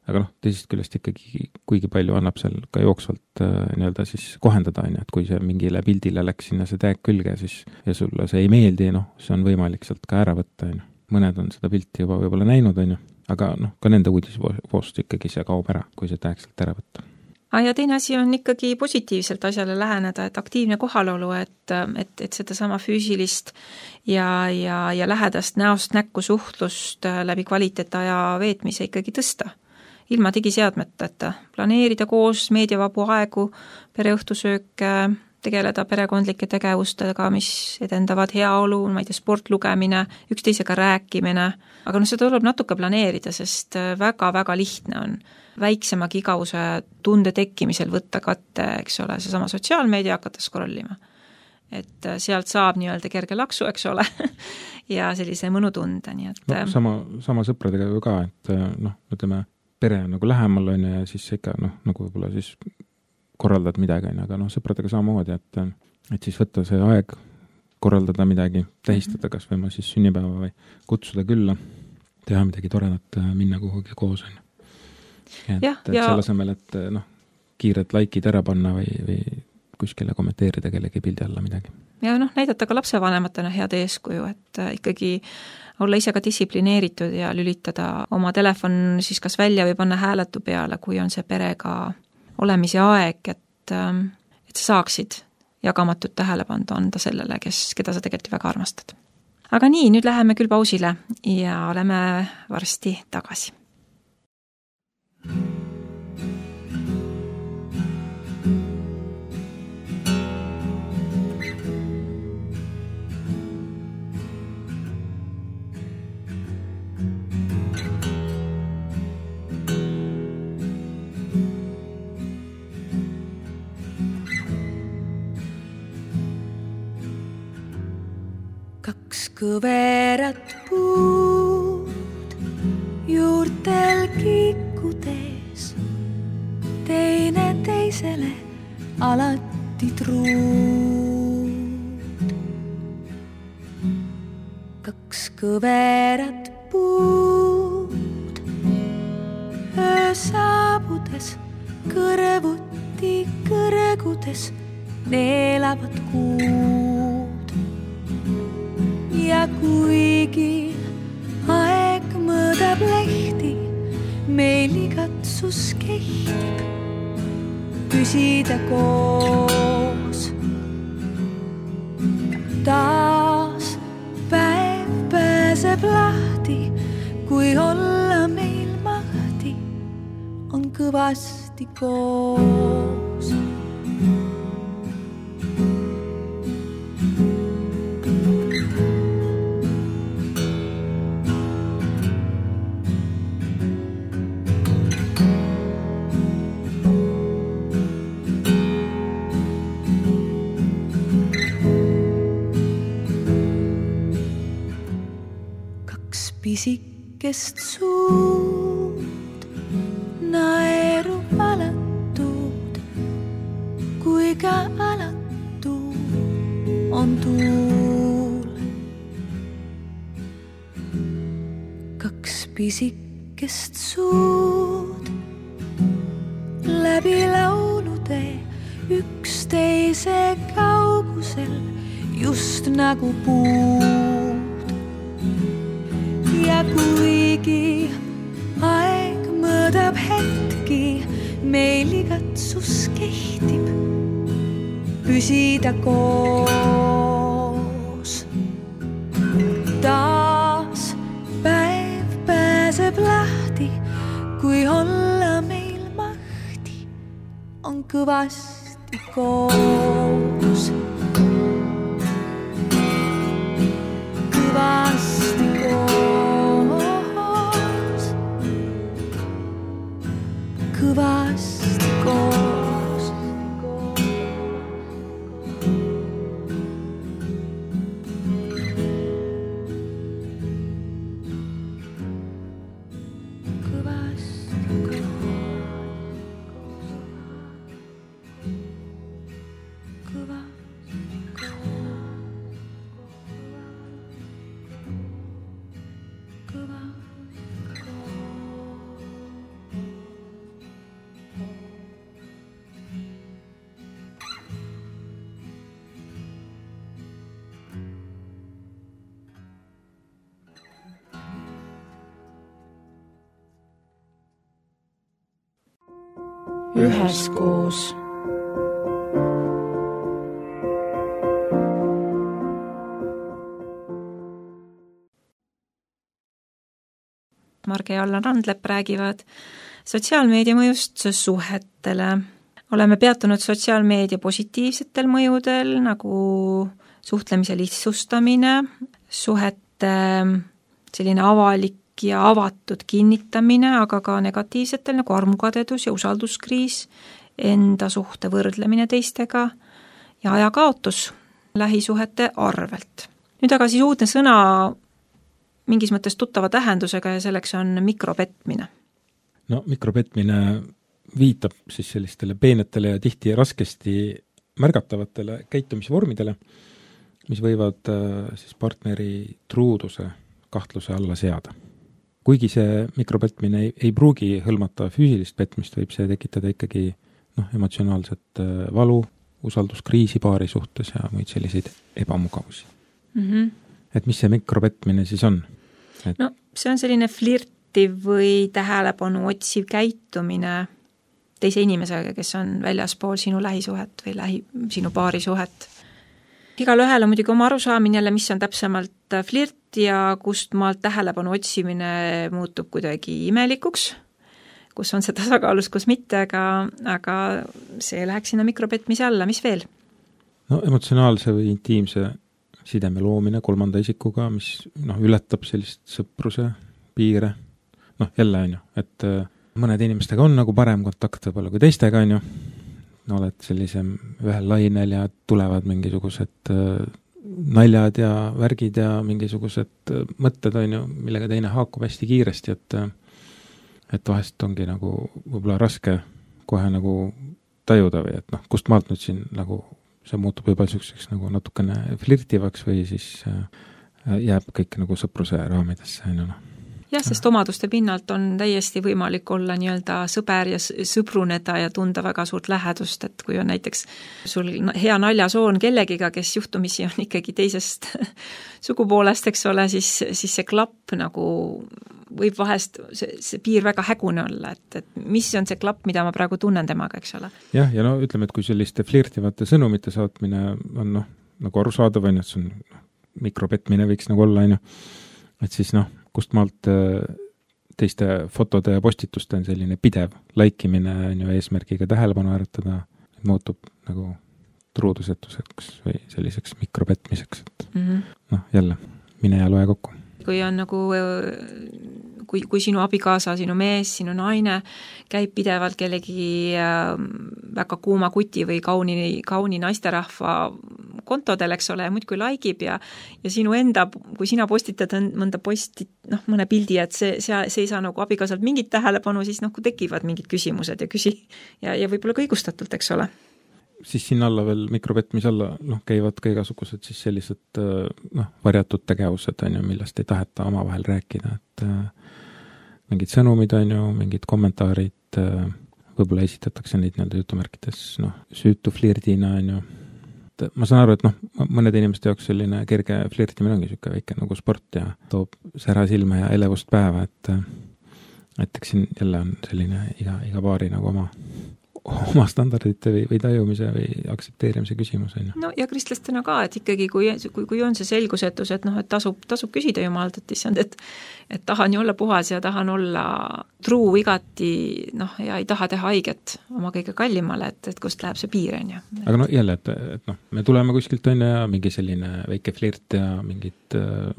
Aga noh, teisest küljest ikkagi kuigi palju annab seal ka jooksvalt äh, nii-öelda siis kohendada, on ju, et kui see mingile pildile läks sinna see tag külge, siis ja sulle see ei meeldi, noh, see on võimalik sealt ka ära võtta, on ju. Mõned on seda pilti juba võib-olla näinud, on ju, aga noh, ka nende uudisvoost ikkagi see kaob ära, kui see tag sealt ära võtta. Ja teine asi on ikkagi positiivselt asjale läheneda, et aktiivne kohalolu, et, et, et seda sama füüsilist ja, ja, ja lähedast näost näkku suhtlust läbi kvaliteetaja veetmise ikkagi tõsta. Ilma digiseadmeteta, planeerida koos meediavabu aegu, pereõhtusööke, tegeleda perekondlike tegevustega, mis edendavad heaolu, ma ei tea, sportlugemine, üksteisega rääkimine, aga no seda tuleb natuke planeerida, sest väga-väga lihtne on väiksemagi igavuse tunde tekkimisel võtta katte, eks ole, see sama sotsiaalmeedia hakata scrollima. Et sealt saab nii-öelda kerge laksu, eks ole, ja sellise mõnutunde, nii et no, sama, sama sõpradega ju ka, et noh, ütleme, pere on nagu lähemal on ja siis ikka noh, nagu võib-olla siis korraldad midagi, aga noh, sõpradega samamoodi, et, et siis võtta see aeg, korraldada midagi, tähistada kas või ma siis sünnipäeva või kutsuda külla, teha midagi toredat, minna kuhugi koos on. Et, ja, et ja... selle asemel, et noh, kiired laikid ära panna või, või kuskile kommenteerida kellegi pildi alla midagi. Ja noh, näidata ka lapsevanematena head eeskuju, et ikkagi olla ise ka distsiplineeritud ja lülitada oma telefon siis kas välja või panna hääletu peale, kui on see perega olemise aeg, et, et sa saaksid jagamatut tähelepandu anda sellele, kes, keda sa tegelikult väga armastad. Aga nii, nüüd läheme küll pausile ja oleme varsti tagasi. Kaks kõverat puud juurtel kikkudes, teine teisele alati truud. Kaks kõverat puud öö saabudes, kõrvuti kõrgudes neelavad kuud. Ja kuigi aeg mõõdab lehti, meil igatsus kehtib püsida koos. Taas päev pääseb lahti, kui olla meil mahti, on kõvasti koos. Pisikest suud naeru alatud, kui ka alatu on tuul. Kaks pisikest suud läbi laulude üksteise kaugusel just nagu puud. Ja kuigi aeg mõõdab hetki, meil igatsus kehtib püsida koos. Taas päev pääseb lahti, kui olla meil mahti, on kõvasti koos. Kõvasti koos. Kõvasti koos. Kõvasti üheskoos. Marge ja Allan Randlepp räägivad sotsiaalmeedia mõjust suhetele. Oleme peatunud sotsiaalmeedia positiivsetel mõjudel, nagu suhtlemise lihtsustamine, suhete selline avalik ja avatud kinnitamine, aga ka negatiivsetel nagu armukadedus ja usalduskriis, enda suhte võrdlemine teistega ja ajakaotus lähisuhete arvelt. Nüüd aga siis uudne sõna mingis mõttes tuttava tähendusega ja selleks on mikropetmine. No mikropetmine viitab siis sellistele peenetele ja tihti raskesti märgatavatele käitumisvormidele, mis võivad siis partneri truuduse kahtluse alla seada. Kuigi see mikropetmine ei, ei pruugi hõlmata füüsilist petmist, võib see tekitada ikkagi noh, emotsionaalset valu, usalduskriisi paari suhtes ja muid selliseid ebamugavusi. Mm-hmm. Et mis see mikropetmine siis on? Et... No see on selline flirtiv või tähelepanu otsiv käitumine teise inimesega, kes on väljaspool sinu lähisuhet või lähi, sinu paari suhet. Igal ühel on muidugi oma arusaamine jälle, mis on täpsemalt flirt ja kust maalt tähelepanu otsimine muutub kuidagi imelikuks, kus on see tasakaalus, kus mitte, aga, aga see läheks sinna mikropetmise alla, mis veel? No emotsionaalse või intiimse sideme loomine kolmanda isikuga, mis noh, ületab sellist sõpruse piire. Noh, jälle on ju, et mõned inimestega on nagu parem kontakt võib-olla kui teistega on ju, no, oled sellisem ühel lainel ja tulevad mingisugused naljad ja värgid ja mingisugused mõtted on ju, millega teine haakub hästi kiiresti, et et vahest ongi nagu võib-olla raske kohe nagu tajuda või et noh, kust maalt nüüd siin nagu see muutub juba selliseks nagu natukene flirtivaks või siis jääb kõik nagu sõpruse raamidesse. No. Jah, sest omaduste pinnalt on täiesti võimalik olla nii-öelda sõber ja sõbruneda ja tunda väga suurt lähedust, et kui on näiteks sul hea naljasoon kellegiga, kes juhtumisi on ikkagi teisest sugupoolest, eks ole, siis, siis see klapp nagu võib vahest see, see piir väga hägune olla, et, et mis on see klapp, mida ma praegu tunnen temaga, eks ole. Jah, ja no ütleme, et kui selliste flirtivate sõnumite saatmine on noh, nagu arusaadav on, et see on mikropetmine võiks nagu olla, on ju, et siis noh, kust maalt teiste fotode ja postituste on selline pidev laikimine on ju eesmärgiga tähelepanu äratada, muutub nagu truudusetuseks või selliseks mikropetmiseks, et mm-hmm. noh, jälle, mine ja loe kokku. Kui on nagu, kui, kui sinu abikaasa, sinu mees, sinu naine käib pidevalt kellegi väga kuuma kuti või kauni, kauni naisterahva kontodel, eks ole, ja muid kui laikib ja, ja sinu enda, kui sina postitad mõnda posti, noh, mõne pildi, et see, see, see ei saa nagu abikaasalt mingit tähelepanu, siis noh, kui tekivad mingid küsimused ja küsi ja, ja võib-olla ka õigustatult, eks ole. Siis siin alla veel mikropetmise alla noh, käivad ka igasugused siis sellised noh, varjatud tegevused on ju, millest ei taheta omavahel rääkida, et äh, mingid sõnumid on ju, mingid kommentaarid äh, võib-olla esitatakse neid nii-öelda jutumärkides noh, süütu flirdina on ju. Ma saan aru, et noh, mõned inimeste jaoks selline kerge flirtimine ongi niisugune väike nagu sport ja toob sära silma ja elevust päeva, et et eks siin jälle on selline iga, iga paari nagu oma oma standardite või, või tajumise või aktsepteerimise küsimus on ju. No ja kristlastena ka, et ikkagi kui, kui, kui on see selgusetus, et noh, et tasub, tasub küsida Jumalt, et issand, et, et tahan ju olla puhas ja tahan olla truu igati, noh, ja ei taha teha haiget oma kõige kallimale, et, et kust läheb see piir on ju. Aga no jälle, et, et noh, me tuleme kuskilt on ja mingi selline väike flirt ja mingid äh,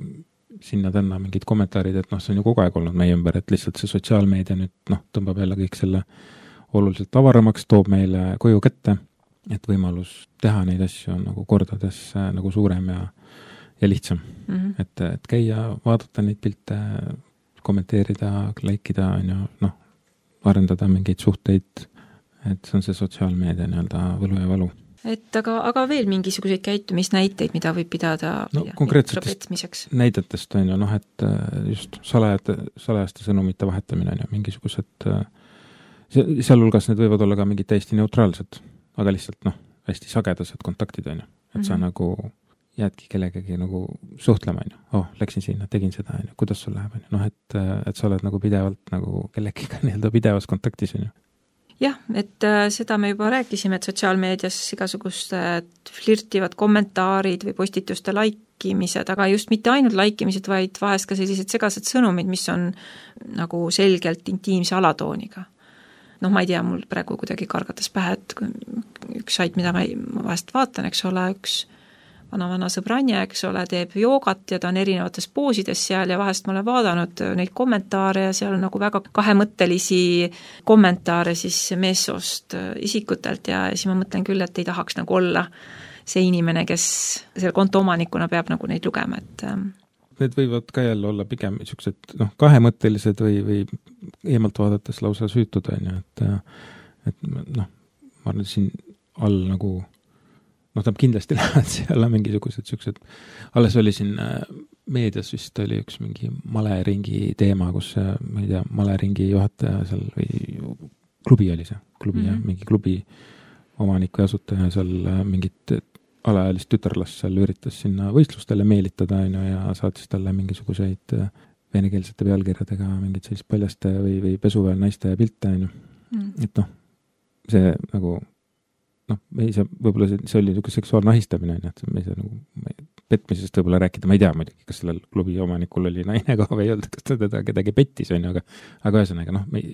sinna-tänna mingid kommentaarid, et noh, see on ju kogu aeg olnud meie ümber, et lihtsalt see sotsiaalmeedia nüüd noh, tõmbab jälle kõik selle oluliselt avaramaks, toob meile koju kätte, et võimalus teha neid asju on nagu kordades nagu suurem ja, ja lihtsam. Mm-hmm. Et, et käia, vaadata neid pilte, kommenteerida, laikida, on ju, noh, arendada mingeid suhteid, et see on see sotsiaalmeedia nii-öelda võlu ja valu. Et aga, aga veel mingisuguseid käitumisnäiteid, mida võib pidada no, konkreetsetest näidetest on ju, noh, et just salajate, salajaste sõnumite vahetamine on ju, mingisugused sealhulgas need võivad olla ka mingid täiesti neutraalsed, aga lihtsalt noh, hästi sagedased kontaktid on ju, et mm-hmm. sa nagu jäädki kellegagi nagu suhtlema on ju, oh, läksin sinna, tegin seda on ju, kuidas sul läheb on ju, noh, et, et sa oled nagu pidevalt nagu kellegiga nii-öelda pidevas kontaktis on ju. jah, et äh, seda me juba rääkisime, et sotsiaalmeedias igasugused flirtivad kommentaarid või postituste laikimised, aga just mitte ainult laikimised, vaid vahest ka sellised segased sõnumid, mis on nagu selgelt intiimse alatooniga. Noh, ma ei tea, mul praegu kuidagi kargatas pähe, et üks sait, mida ma, ma vahest vaatan, eks ole, üks vana-vana sõbranje, eks ole, teeb joogat ja ta on erinevates poosides seal ja vahest ma olen vaadanud neid kommentaare ja seal on nagu väga kahemõttelisi kommentaare siis meessoost isikutelt ja siis ma mõtlen küll, et ei tahaks nagu olla see inimene, kes selle konto omanikuna peab nagu neid lugema, et need võivad ka jälle olla pigem niisugused noh, kahemõttelised või, või eemalt vaadates lausa süütud, on ju, et et noh, ma arvan, siin all nagu noh, ta kindlasti lähevad seal mingisugused siuksed, alles oli siin meedias vist oli üks mingi maleringi teema, kus ma ei tea, maleringi juhataja seal või klubi oli see, klubi mm -hmm. ja mingi klubi omanik või asutaja seal mingit alaealist tütarlast seal üritas sinna võistlustele meelitada ainu, ja saatis talle mingisuguseid venekeelsete pealkirjadega mingid sellist paljaste või, või pesuväel naiste pilte ainu mm.. et noh, see nagu noh, me ei saa, võib-olla see, see oli niisugune seksuaalne ahistamine, et me ei saa nagu petmisest võib-olla rääkida, ma ei tea muidugi, kas sellel klubi omanikul oli naine ka või ei olnud, kas ta teda kedagi pettis, on ju, aga, aga ühesõnaga, noh, me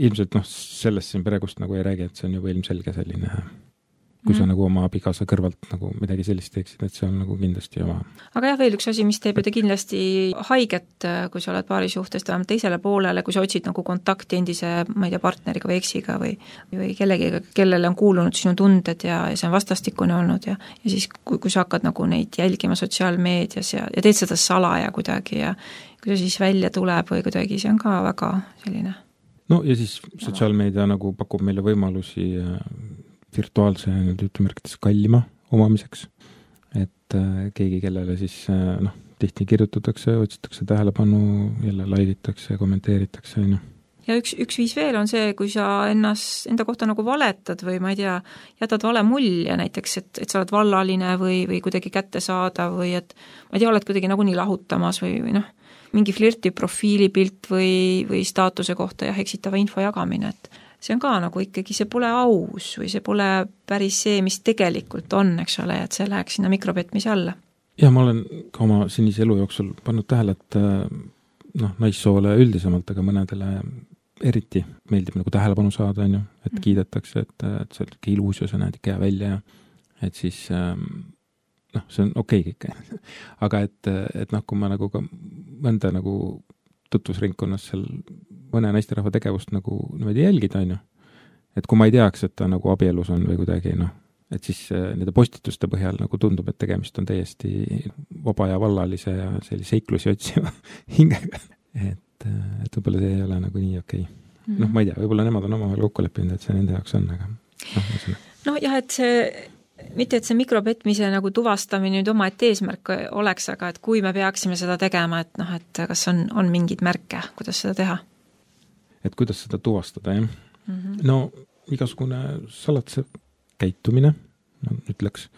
ilmselt noh, sellest siin praegust nagu ei räägi, et see on juba ilmselge selline, kui sa mm. nagu oma abikaasa kõrvalt nagu midagi sellist teeksid, et see on nagu kindlasti oma. Aga jah, veel üks asi, mis teeb ju ta kindlasti haiget, kui sa oled paari suhtest vähemalt teisele poolele, kui sa otsid nagu kontakti endise, ma ei tea, partneriga või eksiga või, või kellegiga, kellele on kuulunud sinu tunded ja, ja see on vastastikune olnud ja, ja siis, kui, kui sa hakkad nagu neid jälgima sotsiaalmeedias ja, ja teed seda salaja kuidagi ja kui see siis välja tuleb või kuidagi, see on ka väga selline. No ja siis sotsiaalmeedia nagu pakub meile võimalusi virtuaalse ütlemärkides kallima omamiseks, et äh, keegi, kellele siis äh, noh, tihti kirjutatakse, otsitakse tähelepanu, jälle laiditakse, kommenteeritakse, noh. Ja üks, üks viis veel on see, kui sa ennast, enda kohta nagu valetad või ma ei tea, jätad vale mulje näiteks, et, et sa oled vallaline või, või kuidagi kätte saada või et ma ei tea, oled kuidagi nagu nii lahutamas või, või noh, mingi flirti profiilipilt või, või staatuse kohta jah, eksitava info jagamine, et see on ka nagu ikkagi, see pole aus või see pole päris see, mis tegelikult on, eks ole, et see läheks sinna mikropetmise alla. Ja ma olen ka oma senise elu jooksul pannud tähele, et noh, naissoole üldisemalt, aga mõnedele eriti meeldib nagu tähelepanu saada, on ju, et mm. kiidetakse, et, et see on ilus ja sa näed ikka hea välja ja et siis noh, see on okei okay, kõik. aga et, et noh, kui ma nagu ka mõnda nagu tutvusringkonnas seal mõne naisterahva tegevust nagu niimoodi jälgida, on ju. Et kui ma ei teaks, et ta nagu abielus on või kuidagi, noh, et siis nende postituste põhjal nagu tundub, et tegemist on täiesti vaba ja vallalise ja sellise seiklusi otsiva hingega. Et, et võib-olla see ei ole nagu nii okei. Okay. Mm-hmm. Noh, ma ei tea, võib-olla nemad on omavahel kokku leppinud, et see nende jaoks on, aga noh, ma selle. No jah, et see mitte, et see mikropetmise nagu tuvastamine nüüd oma et eesmärk oleks, aga et kui me peaksime seda tegema, et noh, et kas on, on mingid märke, kuidas seda teha? Et kuidas seda tuvastada, jah? Mm-hmm. No igasugune salatse käitumine, no, ütleks,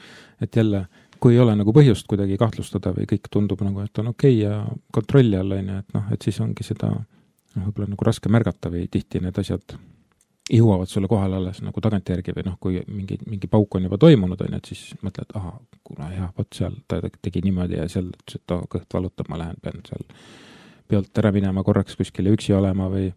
et jälle, kui ei ole nagu põhjust kuidagi kahtlustada või kõik tundub nagu, et on okei okay ja kontrolli all, et noh, et siis ongi seda no, võib-olla nagu raske märgata või tihti need asjad jõuavad sulle kohale alles nagu tagantjärgi või noh, kui mingi, mingi pauk on juba toimunud, on, et siis mõtled, aha, kuna jah, võt seal ta tegi niimoodi ja seal ütles, et ta kõht valutab, ma lähen, pean seal pealt ära minema korraks kuskile üksi olema või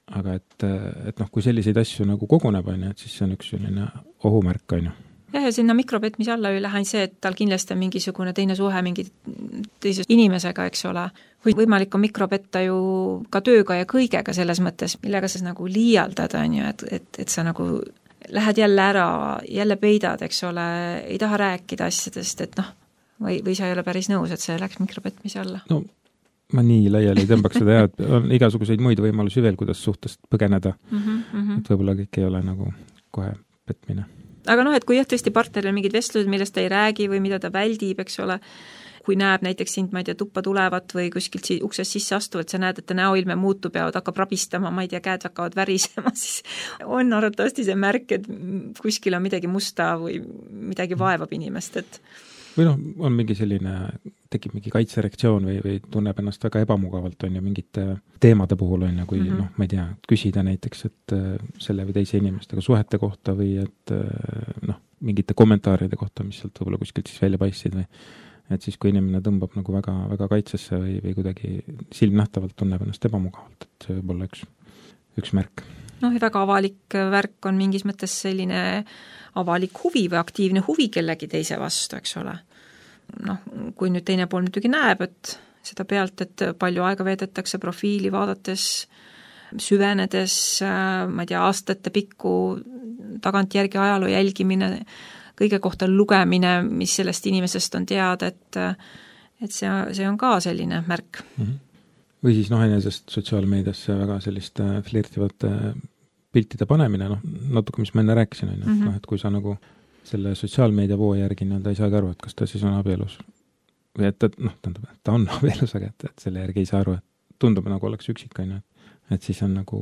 aga et, et noh, kui selliseid asju nagu koguneb, on, et siis see on üks selline ohumärk, on ju. Jah, ja sinna mikropetmise alla ju lähen see, et tal kindlasti on mingisugune teine suhe mingi teise inimesega, eks ole. Või võimalik on mikropetta ju ka tööga ja kõigega selles mõttes, millega sa nagu liialdad, on ju, et, et, et sa nagu lähed jälle ära, jälle peidad, eks ole, ei taha rääkida asjadest, et noh, või, või sa ei ole päris nõus, et see läks mikropetmise alla. No ma nii laiali ei tõmbaks seda ja et on igasuguseid muid võimalusi veel, kuidas suhtest põgeneda. Mm -hmm. Et võib-olla kõik ei ole nagu kohe petmine. Aga noh, et kui jah, tõesti partneril mingid vestlused, millest ta ei räägi või mida ta väldib, eks ole, kui näeb näiteks sind, ma ei tea, tuppa tulevat või kuskilt si- uksest sisse astuvat, sa näed, et ta näoilme muutub ja hakkab rabistama, ma ei tea, käed hakkavad värisema, siis on arvatavasti see märk, et kuskil on midagi musta või midagi vaevab inimest, et või noh, on mingi selline, tekib mingi kaitsereaktsioon või, või tunneb ennast väga ebamugavalt, on ju, mingite teemade puhul, on ju, kui mm -hmm. noh, ma ei tea, küsida näiteks, et selle või teise inimestega suhete kohta või et noh, mingite kommentaaride kohta, mis sealt võib-olla kuskilt siis välja paistsid või et siis, kui inimene tõmbab nagu väga, väga kaitsesse või, või kuidagi silmnähtavalt tunneb ennast ebamugavalt, et see võib olla üks, üks märk. Noh, ja väga avalik värk on mingis mõttes selline avalik huvi või aktiivne huvi kellegi teise vastu, eks ole. Noh, kui nüüd teine pool muidugi näeb, et seda pealt, et palju aega veedetakse profiili vaadates, süvenedes, ma ei tea, aastate pikku tagantjärgi ajaloo jälgimine, kõige kohta lugemine, mis sellest inimesest on teada, et, et see, see on ka selline märk. Mm-hmm. Või siis noh, enesest sotsiaalmeediasse väga selliste flirtivate piltide panemine, noh, natuke, mis ma enne rääkisin, on ju, mm-hmm. noh, et kui sa nagu selle sotsiaalmeedia voo järgi nii-öelda ei saagi aru, et kas ta siis on abielus või et, et noh, tähendab, et ta on abielus, aga et, et selle järgi ei saa aru, et tundub nagu oleks üksik, on ju, et siis on nagu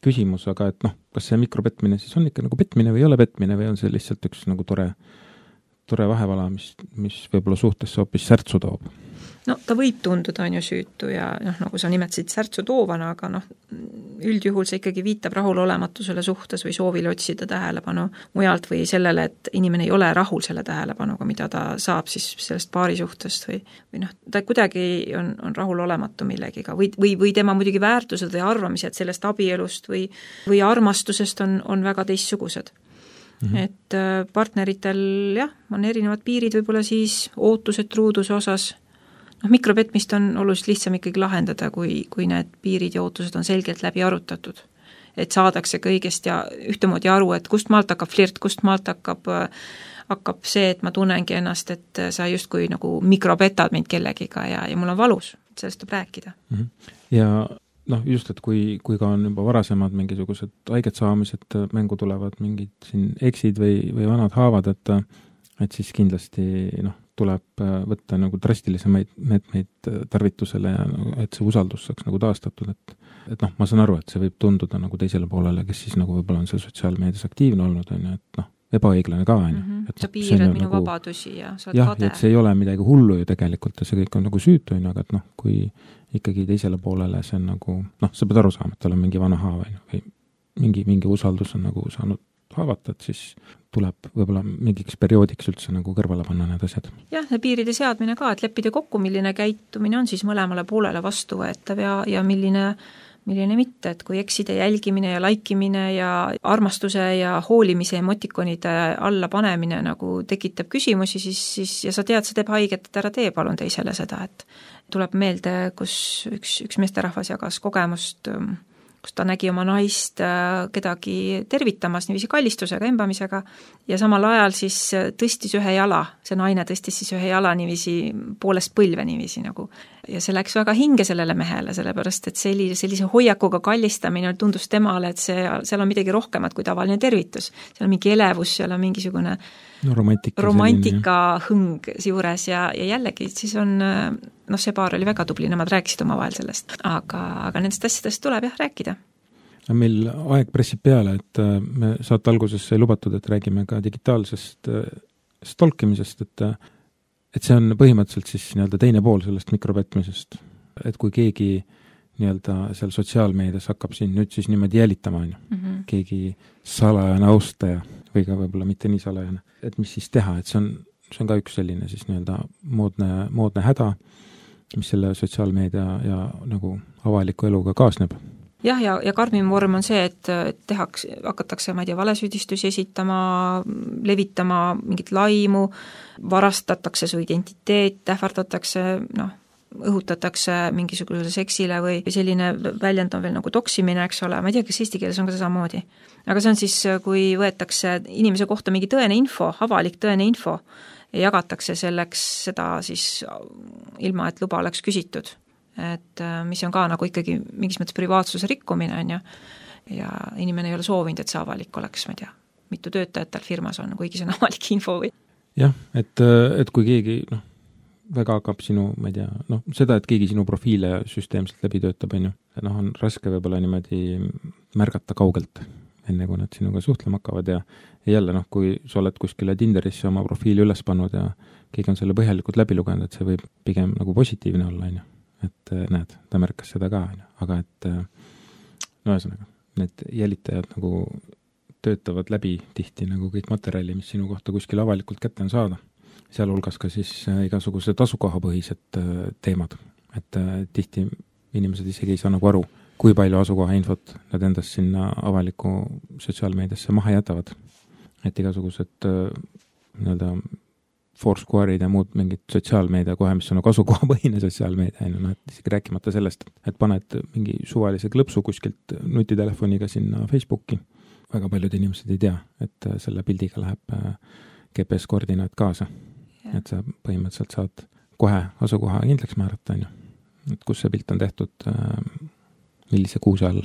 küsimus, aga et noh, kas see mikropetmine siis on ikka nagu petmine või ei ole petmine või on see lihtsalt üks nagu tore, tore vahevala, mis, mis võib-olla suhtesse hoopis särtsu toob? No ta võib tunduda, on ju, süütu ja noh, nagu sa nimetasid särtsu toovana, aga noh, üldjuhul see ikkagi viitab rahulolematusele suhtes või soovile otsida tähelepanu mujalt või sellele, et inimene ei ole rahul selle tähelepanuga, mida ta saab siis sellest paari suhtest või, või noh, ta kuidagi on, on rahulolematu millegiga või, või, või tema muidugi väärtused või arvamised sellest abielust või, või armastusest on, on väga teistsugused. Mm-hmm. Et partneritel jah, on erinevad piirid võib-olla siis ootused truuduse osas. Noh, mikropetmist on oluliselt lihtsam ikkagi lahendada, kui, kui need piirid ja ootused on selgelt läbi arutatud. Et saadakse kõigest ja ühtemoodi aru, et kust maalt hakkab flirt, kust maalt hakkab, hakkab see, et ma tunnengi ennast, et sa justkui nagu mikropetad mind kellegiga ja, ja mul on valus, sellest tuleb rääkida. Mm-hmm. Ja noh, just, et kui, kui ka on juba varasemad mingisugused haiget saamised, mängu tulevad mingid siin eksid või, või vanad haavad, et, et siis kindlasti noh, tuleb võtta nagu drastilisemaid meetmeid tarvitusele ja et see usaldus saaks nagu taastatud, et, et noh, ma saan aru, et see võib tunduda nagu teisele poolele, kes siis nagu võib-olla on seal sotsiaalmeedias aktiivne olnud, on ju, et noh, ebaõiglane ka, on ju. Mm-hmm. Sa piirad minu nagu, vabadusi ja sa oled jah, kade. et see ei ole midagi hullu ju tegelikult ja see kõik on nagu süütu, on ju, aga et noh, kui ikkagi teisele poolele see on nagu, noh, sa pead aru saama, et tal on mingi vana haav, on ju, või mingi, mingi usaldus on nagu saanud haavata, et siis tuleb võib-olla mingiks perioodiks üldse nagu kõrvale panna need asjad. jah, ja piiride seadmine ka, et leppida kokku, milline käitumine on siis mõlemale poolele vastuvõetav ja, ja milline, milline mitte, et kui ekside jälgimine ja laikimine ja armastuse ja hoolimise emotikonide alla panemine nagu tekitab küsimusi, siis, siis ja sa tead, see teeb haiget, et ära tee palun teisele seda, et tuleb meelde, kus üks, üks meesterahvas jagas kogemust, kus ta nägi oma naist kedagi tervitamas niiviisi kallistusega, embamisega ja samal ajal siis tõstis ühe jala, see naine tõstis siis ühe jala niiviisi poolest põlve niiviisi nagu. Ja see läks väga hinge sellele mehele, sellepärast et sellise, sellise hoiakuga kallistamine tundus temale, et see, seal on midagi rohkemat kui tavaline tervitus. Seal on mingi elevus, seal on mingisugune no, romantika, romantika hõng juures ja, ja jällegi siis on, noh, see paar oli väga tubli, nemad rääkisid omavahel sellest, aga, aga nendest asjadest tuleb jah rääkida. Meil aeg pressib peale, et me saate alguses sai lubatud, et räägime ka digitaalsest stalkimisest, et et see on põhimõtteliselt siis nii-öelda teine pool sellest mikropetmisest, et kui keegi nii-öelda seal sotsiaalmeedias hakkab siin nüüd siis niimoodi jälitama, on ju, mm-hmm. keegi salajane austaja või ka võib-olla mitte nii salajane, et mis siis teha, et see on, see on ka üks selline siis nii-öelda moodne, moodne häda, mis selle sotsiaalmeedia ja nagu avaliku eluga kaasneb. jah, ja, ja karmim vorm on see, et tehaks, hakatakse, ma ei tea, valesüüdistusi esitama, levitama mingit laimu, varastatakse su identiteet, ähvardatakse, noh, õhutatakse mingisugusele seksile või selline väljend on veel nagu toksimine, eks ole, ma ei tea, kas eesti keeles on ka samamoodi. Aga see on siis, kui võetakse inimese kohta mingi tõene info, avalik tõene info ja jagatakse selleks seda siis ilma, et luba oleks küsitud. Et mis on ka nagu ikkagi mingis mõttes privaatsuse rikkumine, on ju, ja inimene ei ole soovinud, et see avalik oleks, ma ei tea, mitu töötajat tal firmas on, kuigi see on avalik info või? jah, et, et kui keegi, noh, väga hakkab sinu, ma ei tea, noh, seda, et keegi sinu profiile süsteemselt läbi töötab, on ju, noh, on raske võib-olla niimoodi märgata kaugelt, enne kui nad sinuga suhtlema hakkavad ja, ja jälle, noh, kui sa oled kuskile Tinderisse oma profiili üles pannud ja keegi on selle põhjalikult läbi lugenud, et see võib pigem nagu positiivne olla, on ju. Et näed, ta märkas seda ka, on ju. Aga et no ühesõnaga, need jälitajad nagu töötavad läbi tihti nagu kõik materjali, mis sinu kohta kuskil avalikult kätte on saada. Sealhulgas ka siis igasugused asukohapõhised teemad. Et tihti inimesed isegi ei saa nagu aru, kui palju asukoha infot nad endast sinna avaliku sotsiaalmeediasse maha jätavad. Et igasugused nii-öelda Foursquare'id ja muud mingid sotsiaalmeedia kohe, mis on nagu asukohapõhine sotsiaalmeedia, no, et isegi rääkimata sellest, et paned mingi suvalise klõpsu kuskilt nutitelefoniga sinna Facebooki. Väga paljud inimesed ei tea, et selle pildiga läheb G P S-koordinaat kaasa. Ja. Et sa põhimõtteliselt saad kohe asukoha kindlaks määrata, on ju. Et kus see pilt on tehtud, millise kuuse all,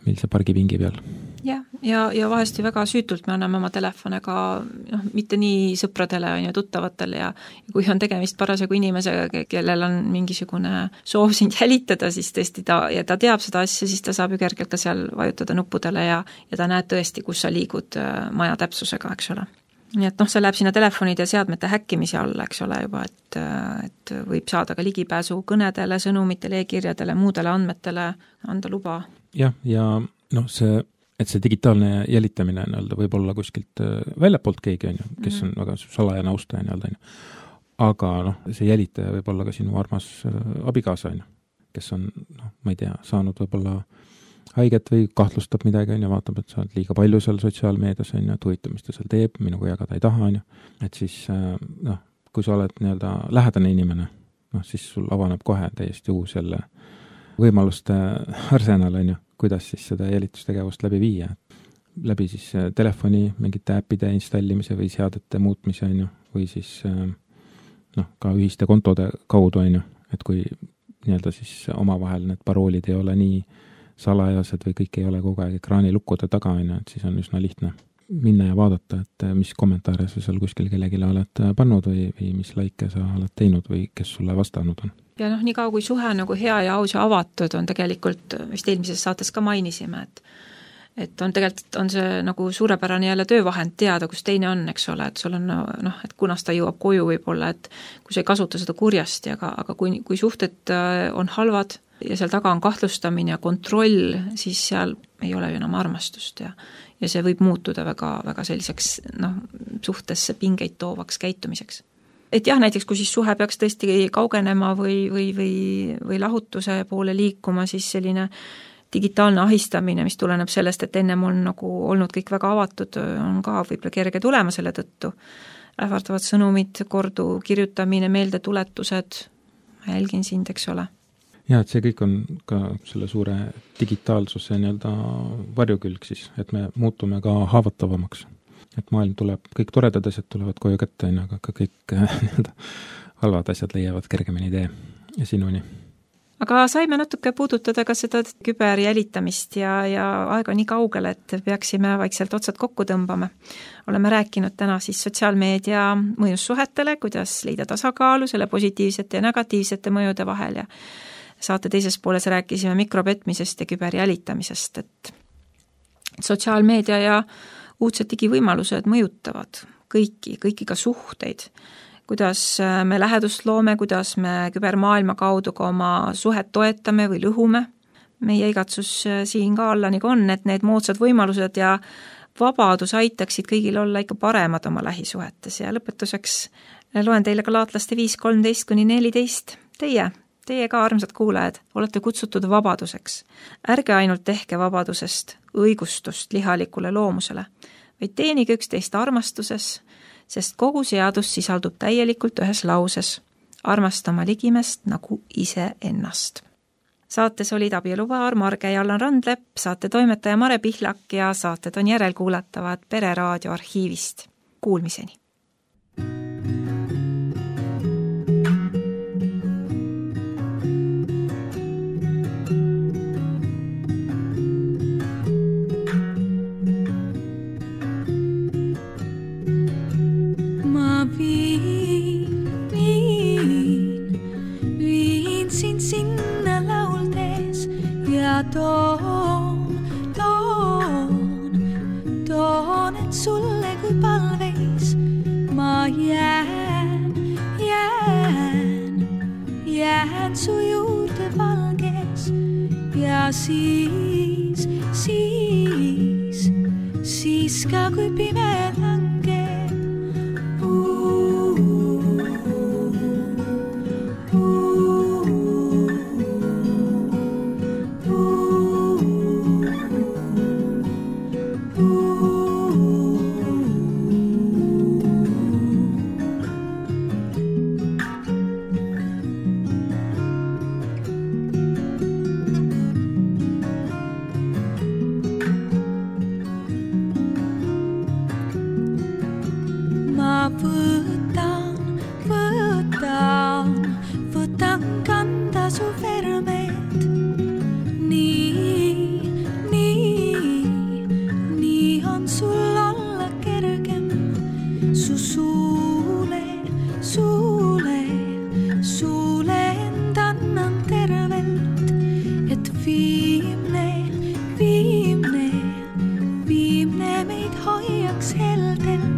millise pargipingi peal. Ja, ja, ja vahest ju väga süütult me anname oma telefone ka noh, mitte nii sõpradele on ju tuttavatele ja, ja kui on tegemist parasjagu inimesega, kellel on mingisugune soov sind jälitada, siis tõesti ta, ja ta teab seda asja, siis ta saab ju kergelt ka seal vajutada nuppudele ja, ja ta näeb tõesti, kus sa liigud maja täpsusega, eks ole. Nii et noh, see läheb sinna telefonide ja seadmete häkkimise alla, eks ole juba, et, et võib saada ka ligipääsu kõnedele, sõnumitele, e-kirjadele, muudele andmetele, anda luba. Jah, ja noh, see et see digitaalne jälitamine nii-öelda võib olla kuskilt väljapoolt keegi, on ju, kes on väga salajane austaja nii-öelda, on ju. Aga noh, see jälitaja võib olla ka sinu armas abikaasa, on ju, kes on, noh, ma ei tea, saanud võib-olla haiget või kahtlustab midagi, on ju, vaatab, et sa oled liiga palju seal sotsiaalmeedias, on ju, et huvitav, mis ta seal teeb, minuga jagada ei taha, on ju. Et siis, noh, kui sa oled nii-öelda lähedane inimene, noh, siis sul avaneb kohe täiesti uus jälle võimaluste arsenal, on ju, kuidas siis seda jälitustegevust läbi viia. Läbi siis telefoni mingite äppide installimise või seadete muutmise, on ju, või siis noh, ka ühiste kontode kaudu, on ju, et kui nii-öelda siis omavahel need paroolid ei ole nii salajased või kõik ei ole kogu aeg ekraanilukkude taga, on ju, et siis on üsna lihtne minna ja vaadata, et mis kommentaare sa seal kuskil kellegile oled pannud või, või mis laike sa oled teinud või kes sulle vastanud on. Ja noh, nii kaua kui suhe nagu hea ja aus ja avatud on tegelikult, vist eelmises saates ka mainisime, et et on tegelikult on see nagu suurepärane jälle töövahend teada, kus teine on, eks ole, et sul on noh, et kunas ta jõuab koju võib-olla, et kui sa ei kasuta seda kurjasti, aga, aga kui, kui suhted on halvad ja seal taga on kahtlustamine ja kontroll, siis seal ei ole ju enam armastust ja, ja see võib muutuda väga, väga selliseks noh, suhtesse pingeid toovaks käitumiseks. Et jah, näiteks kui siis suhe peaks tõesti kaugenema või, või, või, või lahutuse poole liikuma, siis selline digitaalne ahistamine, mis tuleneb sellest, et ennem on nagu olnud kõik väga avatud, on ka võib-olla kerge tulema selle tõttu. Ähvardavad sõnumid, kordu kirjutamine, meeldetuletused, ma jälgin sind, eks ole. Ja, et see kõik on ka selle suure digitaalsuse nii-öelda varjukülg siis, et me muutume ka haavatavamaks. Et maailm tuleb, kõik toredad asjad tulevad koju kätte, aga ka kõik nii-öelda halvad asjad leiavad kergemini tee ja sinuni. Aga saime natuke puudutada ka seda küberjälitamist ja, ja aega nii kaugele, et peaksime vaikselt otsad kokku tõmbama. Oleme rääkinud täna siis sotsiaalmeedia mõjussuhetele, kuidas leida tasakaalu selle positiivsete ja negatiivsete mõjude vahel ja saate teises pooles rääkisime mikropetmisest ja küberjälitamisest, et sotsiaalmeedia ja uudsed digivõimalused mõjutavad kõiki, kõiki ka suhteid, kuidas me lähedust loome, kuidas me kübermaailma kaudu ka oma suhet toetame või lõhume. Meie igatsus siin ka alla nagu on, et need moodsad võimalused ja vabadus aitaksid kõigil olla ikka paremad oma lähisuhetes ja lõpetuseks loen teile Galaatlaste viis kolmteist kuni neliteist. Teie, teie ka armsad kuulajad, olete kutsutud vabaduseks. Ärge ainult tehke vabadusest õigustust lihalikule loomusele, vaid teenige üksteist armastuses, sest kogu seadus sisaldub täielikult ühes lauses, armastama ligimest nagu ise ennast. Saates olid abielupaar Marge ja Allan Randlepp, saate toimetaja Mare Pihlak ja saated on järelkuulatavad Pereraadio arhiivist. Kuulmiseni! Toon, toon, toon, et sulle kui palveis ma jään lähen su juurde valges ja siis, siis, siis ka kui pime langeb. Uh, uh, uh, uh. Ma võtan, võtan, võtan kanda su vermed. Nii, nii, nii on sul olla kergem. Su suule, suule, suule end annan tervelt. Et viimne, viimne, viimne meid hoiaks heldelt.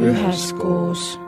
Üheskoos.